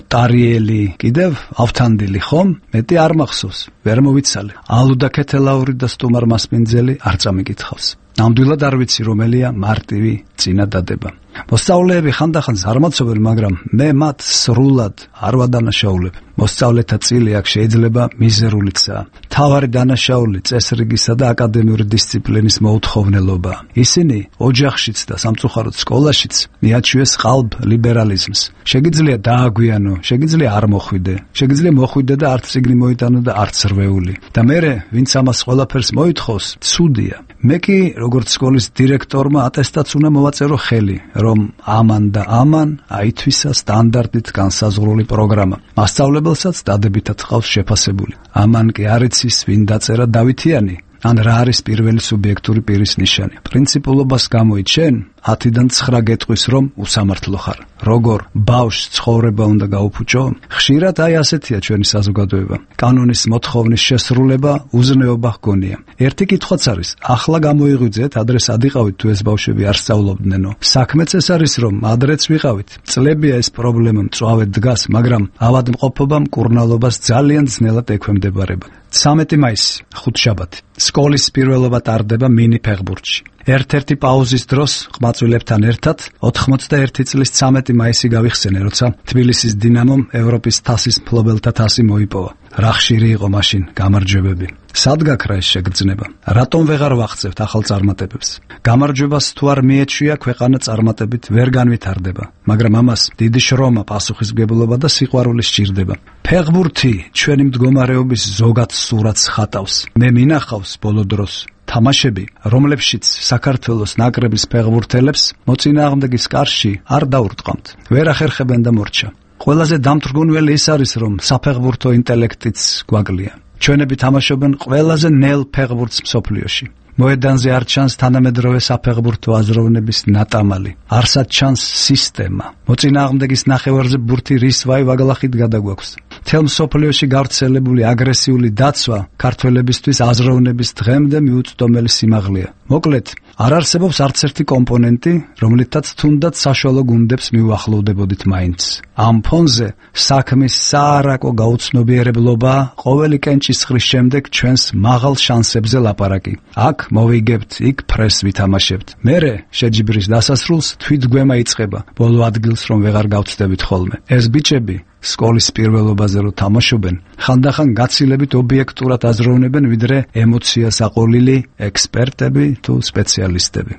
ტარიელი, კიდევ ავთანდილი ხომ? მეტი არ მახსოვს, ვერ მოვიცალე. ალუდა ქეთელაური და სტუმარ მასპინძელი არ წამეკითხავს. ნამდვილად არ ვიცი რომელია მარტივი წინადადება. მოსწავლეები ხანდახან ზარმაცობენ, მაგრამ მე მათ სრულად არ ვადანაშაულებ. მოსწავლეთა წილი აქ შეიძლება მიზერულიცაა. თავარი დანაშაული წესრიგისა და აკადემიური დისციპლინის მოუთხოვნელობაა. ისინი ოჯახშიც და სამწუხაროდ სკოლაშიც მიაჩვიეს ყალბ ლიბერალიზმს. შეგიძლია დააგვიანო, შეგიძლია არ მოხვიდე, შეგიძლია მოხვიდე და არც წიგნი მოიტანო და არც რვეული. და მერე ვინც ამას ყველაფერს მოითხოვს, ცუდია. მე კი როგორც სკოლის დირექტორმა ატესტაც უნდა მოვაწერო ხელი, რომ ამან და ამან აითვისა სტანდარტით განსაზღვრული პროგრამა. მასწავლებელსაც დადებითად ყავს შეფასებული. ამან კი არ იცის ვინ დაწერა დავითიანი, ან რა არის პირველი სუბიექტური პირის ნიშანი. პრინციპულობას გამოიჩენ, 10-დან 9 გეტყვის რომ უსამართლო ხარ. როგორ ბავშვს ცხოვრება უნდა გაუფუჭო? ხშირად აი ასეთია ჩვენი საზოგადოება. კანონის მოთხოვნის შესრულება უზნეობა ჰგონია. ერთი კითხვაც არის, ახლა გამოიღვიძეთ, ადრე სად იყავით თუ ეს ბავშვები არ სწავლობდნენო? საქმეც ეს არის, რომ ადრეც ვიყავით. წლებია ეს პრობლემა მწვავედ დგას, მაგრამ ავადმყოფობა მკურნალობას ძალიან ძნელად ექვემდებარება. 13 მაისი, ხუთშაბათი. სკოლის პირველობა ტარდება მინი ფეხბურთში. ერთ-ერთი პაუზის დროს ყმაწვილებთან ერთად 91 წლის 13 მაისი გავიხსენე, როცა თბილისის დინამომ ევროპის თასის მფლობელთა თასი მოიპოვა. რა ხშირი იყო მაშინ გამარჯვებები. სად გაქრა ეს შეგრძნება? რატომ ვეღარ ვახცევთ ახალ წარმატებებს? გამარჯვებას თუ არ მიეჩვია, ქვეყანა წარმატებით ვერ განვითარდება, მაგრამ ამას დიდი შრომა, პასუხისმგებლობა და სიყვარული სჭირდება. ფეხბურთი ჩვენი მდგომარეობის ზოგად სურათს ხატავს. მე მინახავს ბოლო დროს თამაშები, რომლებშიც საქართველოს ნაკრების ფეხბურთელებს მოწინააღმდეგის კარში არ დაურტყამთ. ვერ ახერხებენ და მორჩა. ყველაზე დამთრგუნველი ის არის, რომ საფეხბურთო ინტელექტიც გვაკლია. ჩვენები თამაშობენ ყველაზე ნელ ფეხბურთს მსოფლიოში. მოედანზე არ ჩანს თანამედროვე საფეხბურთო აზროვნების ნატამალი. არსად ჩანს სისტემა. მოწინააღმდეგის ნახევარზე ბურთი რის ვაგლახით გადაგვაქვს. მთელ მსოფლიოში გავრცელებული აგრესიული დაცვა ქართველებისთვის აზროვნების დღემდე მიუწვდომელი სიმაღლეა. მოკლედ, არ არსებობს არც ერთი კომპონენტი, რომლითაც თუნდაც საშუალო გუნდებს მიუახლოვდებოდით მაინც. ამ ფონზე საქმის საარაკო გაუცნობიერებლობა ყოველი კენჭისყრის შემდეგ ჩვენს მაღალ შანსებზე ლაპარაკი. აქ მოვიგებთ, იქ ფრეს ვითამაშებთ. მერე შეჯიბრის დასასრულს თვითგვემა იწყება, ბოლო ადგილს რომ ვეღარ გავწდებით ხოლმე. ეს ბიჭები სკოლის პირველობაზე რო თამაშობენ, ხანდახან გაცილებით ობიექტურად აზროვნებენ, ვიდრე ემოციას აყოლილი ექსპერტები თუ სპეციალისტები.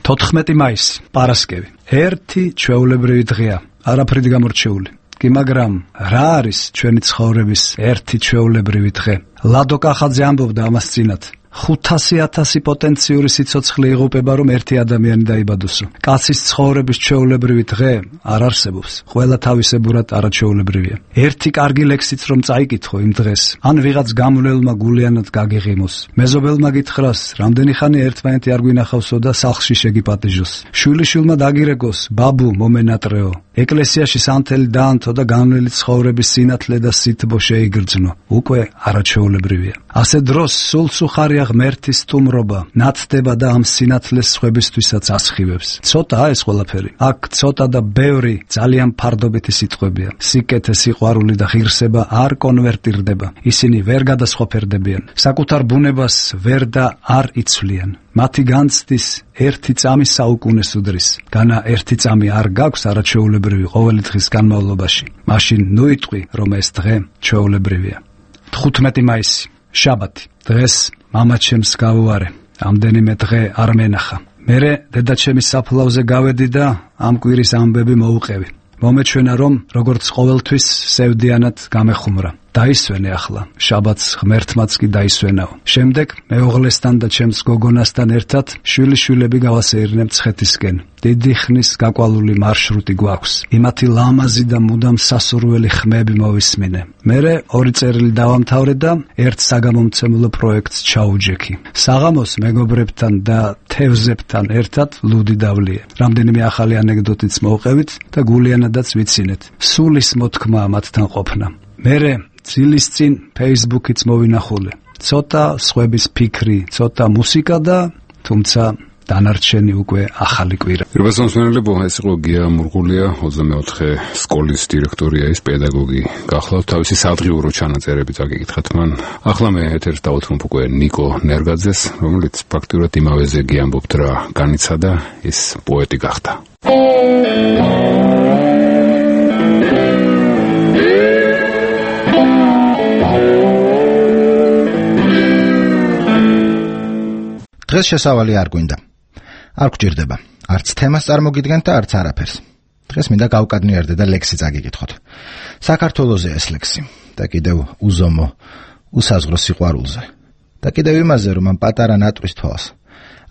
14 მაისი, პარასკევი. ერთი ჩვეულებრივი დღეა, არაფრით გამორჩეული. კი, მაგრამ რა არის ჩვენი ცხოვრების ერთი ჩვეულებრივი დღე? ლადო კახაძე ამბობდა ამას წინათ. 500,000 პოტენციური სიცოცხლე იღუპება, რომ ერთი ადამიანი დაიბადოსო. კაცის ცხოვრების ჩვეულებრივი დღე არ არსებობს. ყველა თავისებურად არაჩვეულებრივია. ერთი კარგი ლექსიც რომ წაიკითხო იმ დღეს, ან ვიღაც გამვლელმა გულიანად გაგიღიმოს. მეზობელმა გითხრას, რამდენი ხანი ერთმანეთი არ გვინახავსო და სახლში შეგიპატიჟოს. შვილიშვილმა დაგირეკოს, ბაბუ მომენატრეო. ეკლესიაში სანთელი დაანთო და განვლელი ცხოვრების სინათლე და სითბო შეიგრძნო. უკვე არაჩვეულებრივია. ასე დროს სულ სუხარი ღმერთის სტუმრობა ნათდება და ამ სინათლეს სხვებისთვისაც ასხივებს. ცოტაა ეს ყველაფერი. აქ ცოტა და ბევრი ძალიან ფარდობითი სიტყვებია. სიკეთე, სიყვარული და ღირსება არ კონვერტირდება. ისინი ვერ გადასხვაფერდებიან. საკუთარ ბუნებას ვერ და არ იცვლიან. მათი განცდის ერთი წამი საუკუნეს უდრის. განა ერთი წამი არ გაქვს არაჩვეულებრივი ყოველი დღის განმავლობაში. მაშინ ნუ იტყვი, რომ ეს დღე ჩვეულებრივია. 15 მაისი, შაბათი. დღეს მამაჩემს გავუარე. ამდენიმე დღე არ მენახა. მერე დედაჩემის საფლავზე გავედი და ამ კვირის ამბები მოუყევი. მომეჩვენა, რომ როგორც ყოველთვის სევდიანად გამეხუმრა. დაისვენე ახლა, შაბათს ღმერთმაც კი დაისვენაო. შემდეგ მეუღლესთან და ჩემს გოგონასთან ერთად შვილიშვილები გავასეირნე მცხეთისკენ. დიდი ხნის გაკვალული მარშრუტი გვაქვს. იმათი ლამაზი და მუდამ სასურველი ხმები მოვისმინე. მერე 2 წერილი დავამთავრე და ერთ საგამომცემლო პროექტს ჩაუჯექი. საღამოს მეგობრებთან და თევზებთან ერთად ლუდი დავლიე. რამდენიმე ახალი ანეკდოტიც მოვყევით და გულიანადაც ვიცინეთ. სულის მოთქმაა მათთან ყოფნა. მერე ძილის წინ Facebook-იც მოვინახულე. ცოტა სხვების ფიქრი, ცოტა მუსიკა და თუმცა დანარჩენი უკვე ახალი კვირა. რებასონსმენელებო, ეს იყო გია მურღულია, 24 სკოლის დირექტორია, ის პედაგოგი. გახლავთ თავისი სადღიურო ჩანაწერებით აგიკითხეთ მან. ახლა მე ეთერს დავუთმობ უკვე ნიკო ნერგაძეს, რომელიც პრაქტიკულად იმავეზე გიამბობთ რა განიცადა, ის პოეტი გახდა. დღეს შესავალი არ გვინდა. არ გჭირდება. არც თემას წარმოგიდგენთ და არც არაფერს. დღეს მინდა გავკადნიარდე და ლექსი წაგიკითხოთ. საქართველოზე ეს ლექსი და კიდევ უზომო, უსაზღრო სიყვარულზე. და კიდევ იმაზე, რომ ამ პატარა ნატრის თვალს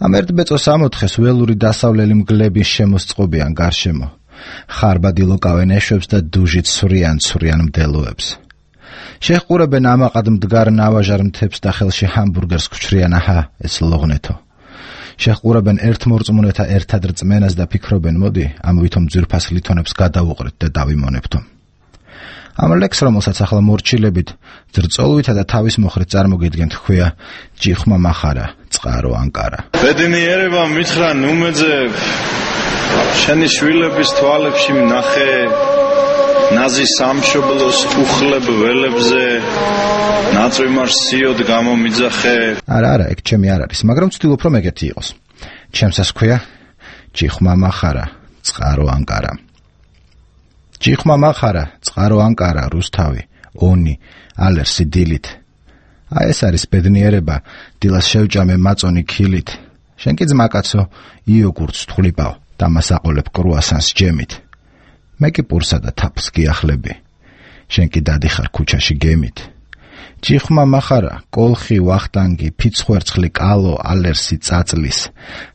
ამ ერთ ბეწოს ამოთხეს ველური დასავლელი მგლების შემოსწყობიან გარშემო. ხარბადი ლოკავენ ეშვებს და დუჟით ცვრიან მდელოებს. შეჰყურებენ ამაყად მდგარ ნავაჟარ მთებს და ხელში ჰამბურგერს გჩრიან, აჰა, ეს ლოღნეთო. შეჰყურებენ ერთმორწმუნეთა ერთად რწმენას და ფიქრობენ, მოდი, ამ ვითომ ძვირფას ლითონებს გადავუყრეთ და დავიმონებთო. ამ ლექს, რომელსაც ახლა მორჩილებით, ძრწოლვითა და თავის მოხრით წარმოგიდგენთ, ჰქვია ჯიხმა მახარა, წყარო ანკარა. ბედნიერება მითხრა ნუმეძე, შენი შვილების თვალებში ვნახე ნაზი სამშობლოს უხლებ ველებზე, ნაწვიმარს სიოდ გამომიძახე. არა, ეგ ჩემი არ არის, მაგრამ ვცდილობ რომ ეგეთი იყოს. ჩემსას ქვია ჯიხმა მახარა, წყარო ანკარა. ჯიხმა მახარა, წყარო ანკარა, რუსთავი, ონი, ალერსი დილით. აი ეს არის ბედნიერება, დილას შევჭამე მაწონი ქილით. შენ კი ძმაკაცო, იოგურტს თვლიპავ და მას აყოლებ კრუასანს ჯემით. მე კი პურსა და თაფს გიახლები. შენ კი დადიხარ ქუჩაში გემით. ჯიხმა მახარა, კოლხი, ვახტანგი, ფიცხვერცხლი, კალო, ალერსი, წაწლის.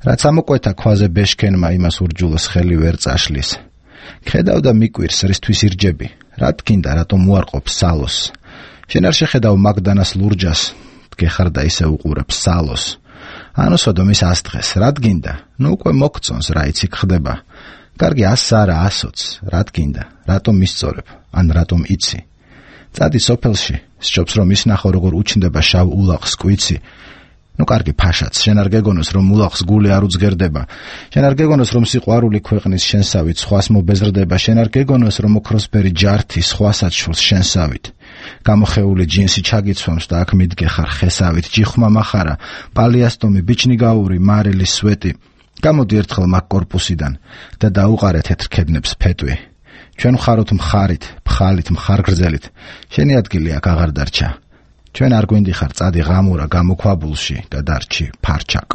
რაც ამოკვეთა ქვაზე ბეშქენმა იმას ურჯულოს ხელი ვერ წაშლის. ხედავ და მიკვირს რისთვის ირჯები. რა თქინდა, რატომ უარყოფს სალოს. შენ არ შეხედავ მაგდანას ლურჯას, გეხარ და ისე უყურებ სალოს. ანოსოდო მის ასდღეს, რა თქინდა, ნუ უკვე მოგწონს რა იცი ხდება. კარგი 100 არა 100-ც, რა თქინდა, რატომ მისწორებ, ან რატომ იცი. წადი სოფელში, სჯობს რომ ისნახო როგორ უჩნდება შავ ულაღს კვიცი. ნუ კარგი ფაშაც, შენ არ გეგონოს რომ ულაღს გული არ უძგერდება. შენ არ გეგონოს რომ სიყვარული ქვეყნის შენსავით სხვას მობეზრდება. შენ არ გეგონოს რომ ოქროსფერი ჯართი სხვასაც შურს შენსავით. გამოხეული ჯინსი ჩაგიცვამს და აქ მიდგეხარ ხესავით. ჯიხმა მახარა, პალიასტომი, ბიჩნიგაური, მარილის სვეტი. გამოდი ერთხელ მაგ კორპუსიდან და დაუყარე თეთრ ქედნებს ფეტვი. ჩვენ ხაროთ მხარით, ფხალით, მხარგრძელით. შენი ადგილი აქ აღარ დარჩა. ჩვენ არ გვინდიხარ წადი ღამურა გამოქვაბულში და დარჩი ფარჩაკ.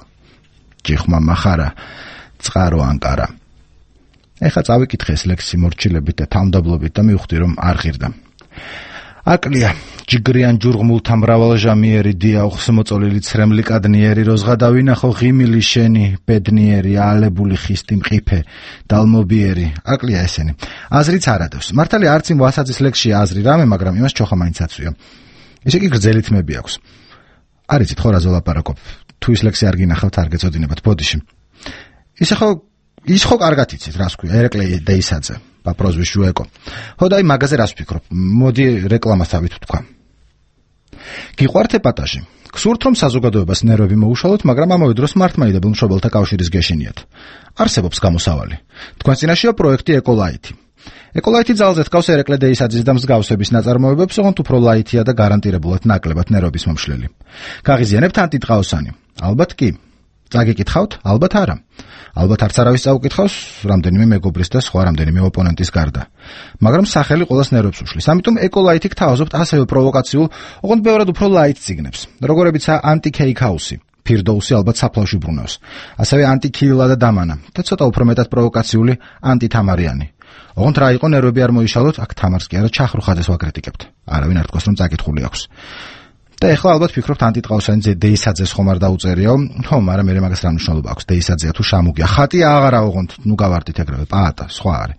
ჯიხმა მახარა, წყარო ანკარა. ეხლა წავიკითხე ეს ლექსი მორჩილებით და თავმდაბლობით და მივხვდი რომ არ ღირდა. აკლია ჯიგრიან ჯურღმულთა მრავალჟამიერი დიაუხს მოწოლილი ცრემლი კადნიერი როზღა დავინახო ღიმილი შენი ბედნიერი ალებული ხისტი მყიფე დალმობიერი. აკლია ესენი. აზრიც არ ადევს. მართალია არც იმ ვასაძის ლექსში აზრი რამე, მაგრამ იმას ჩოხა მაინც აცვია. ესე კი გრძელი თმები აქვს. არ იცით ხო რა ზოლაპარაკობ. თუ ის ლექსი არ გინახავთ არ გეწოდინებათ ბოდიში. ის ხო კარგად იცით რას ქვია ერეკლე დეისაძე. Paprozviš žueko. Hodaj magazin raspikro. Modi reklama stavit თქვა. გიყვართ ეპატაჟი. გსურთ რომ საზოგადოებას ნერვები მოუშალოთ, მაგრამ ამავე დროს მართლმადიდებელ მშობელთა კავშირის გეშინიათ. არსებობს გამოსავალი. თქვენ წინაშეა პროექტი ეკოლაითი. ეკოლაითი ძალზე დგავს ერეკლე დეისაძის და მსგავსების ნაწარმოებებს, ოღონდ უფრო ლაითია და გარანტირებულად ნაკლებად ნერვების მომშლელი. გაღიზიანებთ ანტიტყაოსანი? ალბათ კი. წაგიკითხავთ? ალბათ არა. ალბათ არც არავის წაუკითხავს, რამდენიმე მეგობრის და სხვა რამდენიმე ოპონენტის გარდა. მაგრამ სახელი ყოველს ნერვებს უშლის. ამიტომ ეკოლაითი გთავაზობთ ასევე პროვოკაციულ, ოღონდ ბევრად უფრო ლაით ციგნებს, როგორებიცაა ანტი-ქეიქაუსი. ფირდოუსი ალბათ საფლავში ბრუნავს. ასევე ანტი-ქიილა და დამანა და ცოტა უფრო მეტად პროვოკაციული ანტი-თამარიანი. ოღონდ რა იყო ნერვები არ მოიშალოთ, აქ თამარს კი არა ჩახრუხაძეს ვაკრიტიკებთ. არავინ არ თქვას რომ წაკითხული აქვს. და ეხლა ალბათ ფიქრობთ ანტიტყაოსანი დეისაძეს ხომ არ დაუწერიო? ხო, მაგრამ მე მაგას რა მნიშვნელობა აქვს? დეისაძეა თუ შამუგია? ხატია აღარა ოღონდ, ნუ გავარდით ეგრევე, პაატა, სხვა არის.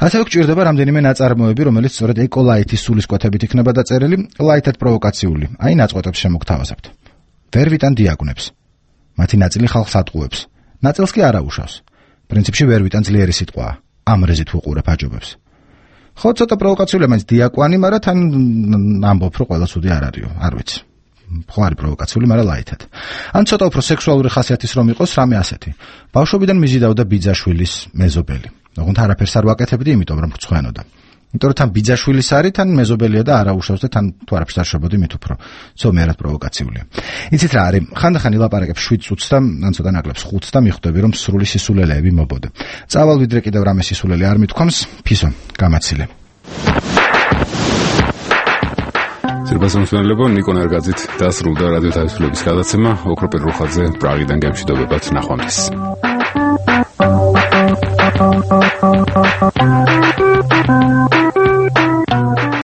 ასევე გჭირდება რამდენიმე ნაწარმოები, რომელიც სწორედ ეკოლაითის სულისკვეთებით იქნება დაწერილი, ლაითად პროვოკაციული. აი ნაწყვეტებს შემოგთავაზებთ. ვერ ვიტან დიაგნებს. მათი ნაწილი ხალხს ატყუებს. ნაწილს კი არა უშავს. პრინციპში ვერ ვიტან ძლიერი სიტყვაა. ამრეზით ვუყურებ აჯობებს. ხო, ცოტა პროვოკაციულია მაინც დიაკვანი, მაგრამ თან ამბობ რომ ყველა ცუდი არ არისო, არ ვიცი. ხო არის პროვოკაციული, მაგრამ ლაითად. ან ცოტა უფრო სექსუალური ხასიათის რომ იყოს რამე ასეთი. ბავშვობიდან მიზიდავდა ბიძაშვილის მეზობელი. ოღონდ არაფერს არ ვაკეთებდი, იმიტომ რომ გწვენოდა. იმიტომ რომ თან ბიძაშვილის არის, თან მეზობელია და არა უშავს და თან თუ არაფერს არ შობოდი მით უფრო. ზომიერად პროვოკაციულია. იცით რა არის? ხანდახან ილაპარაკებ 7 წუთს და ან ცოტა ნაკლებს 5-ს და მიხვდები რომ სრული სისულელეები მობოდე. წავალ ვიდრე კიდევ რამე სისულელე არ მithქვამს, ფისო, გამაცილე. სერბასამსვლელებო ნიკო ნერგაძით დასრულდა რადიო თავისუფლების გადაცემა. ოქროპირ რუხაძე პრაღიდან გემშვიდობებად, ნახვამდის.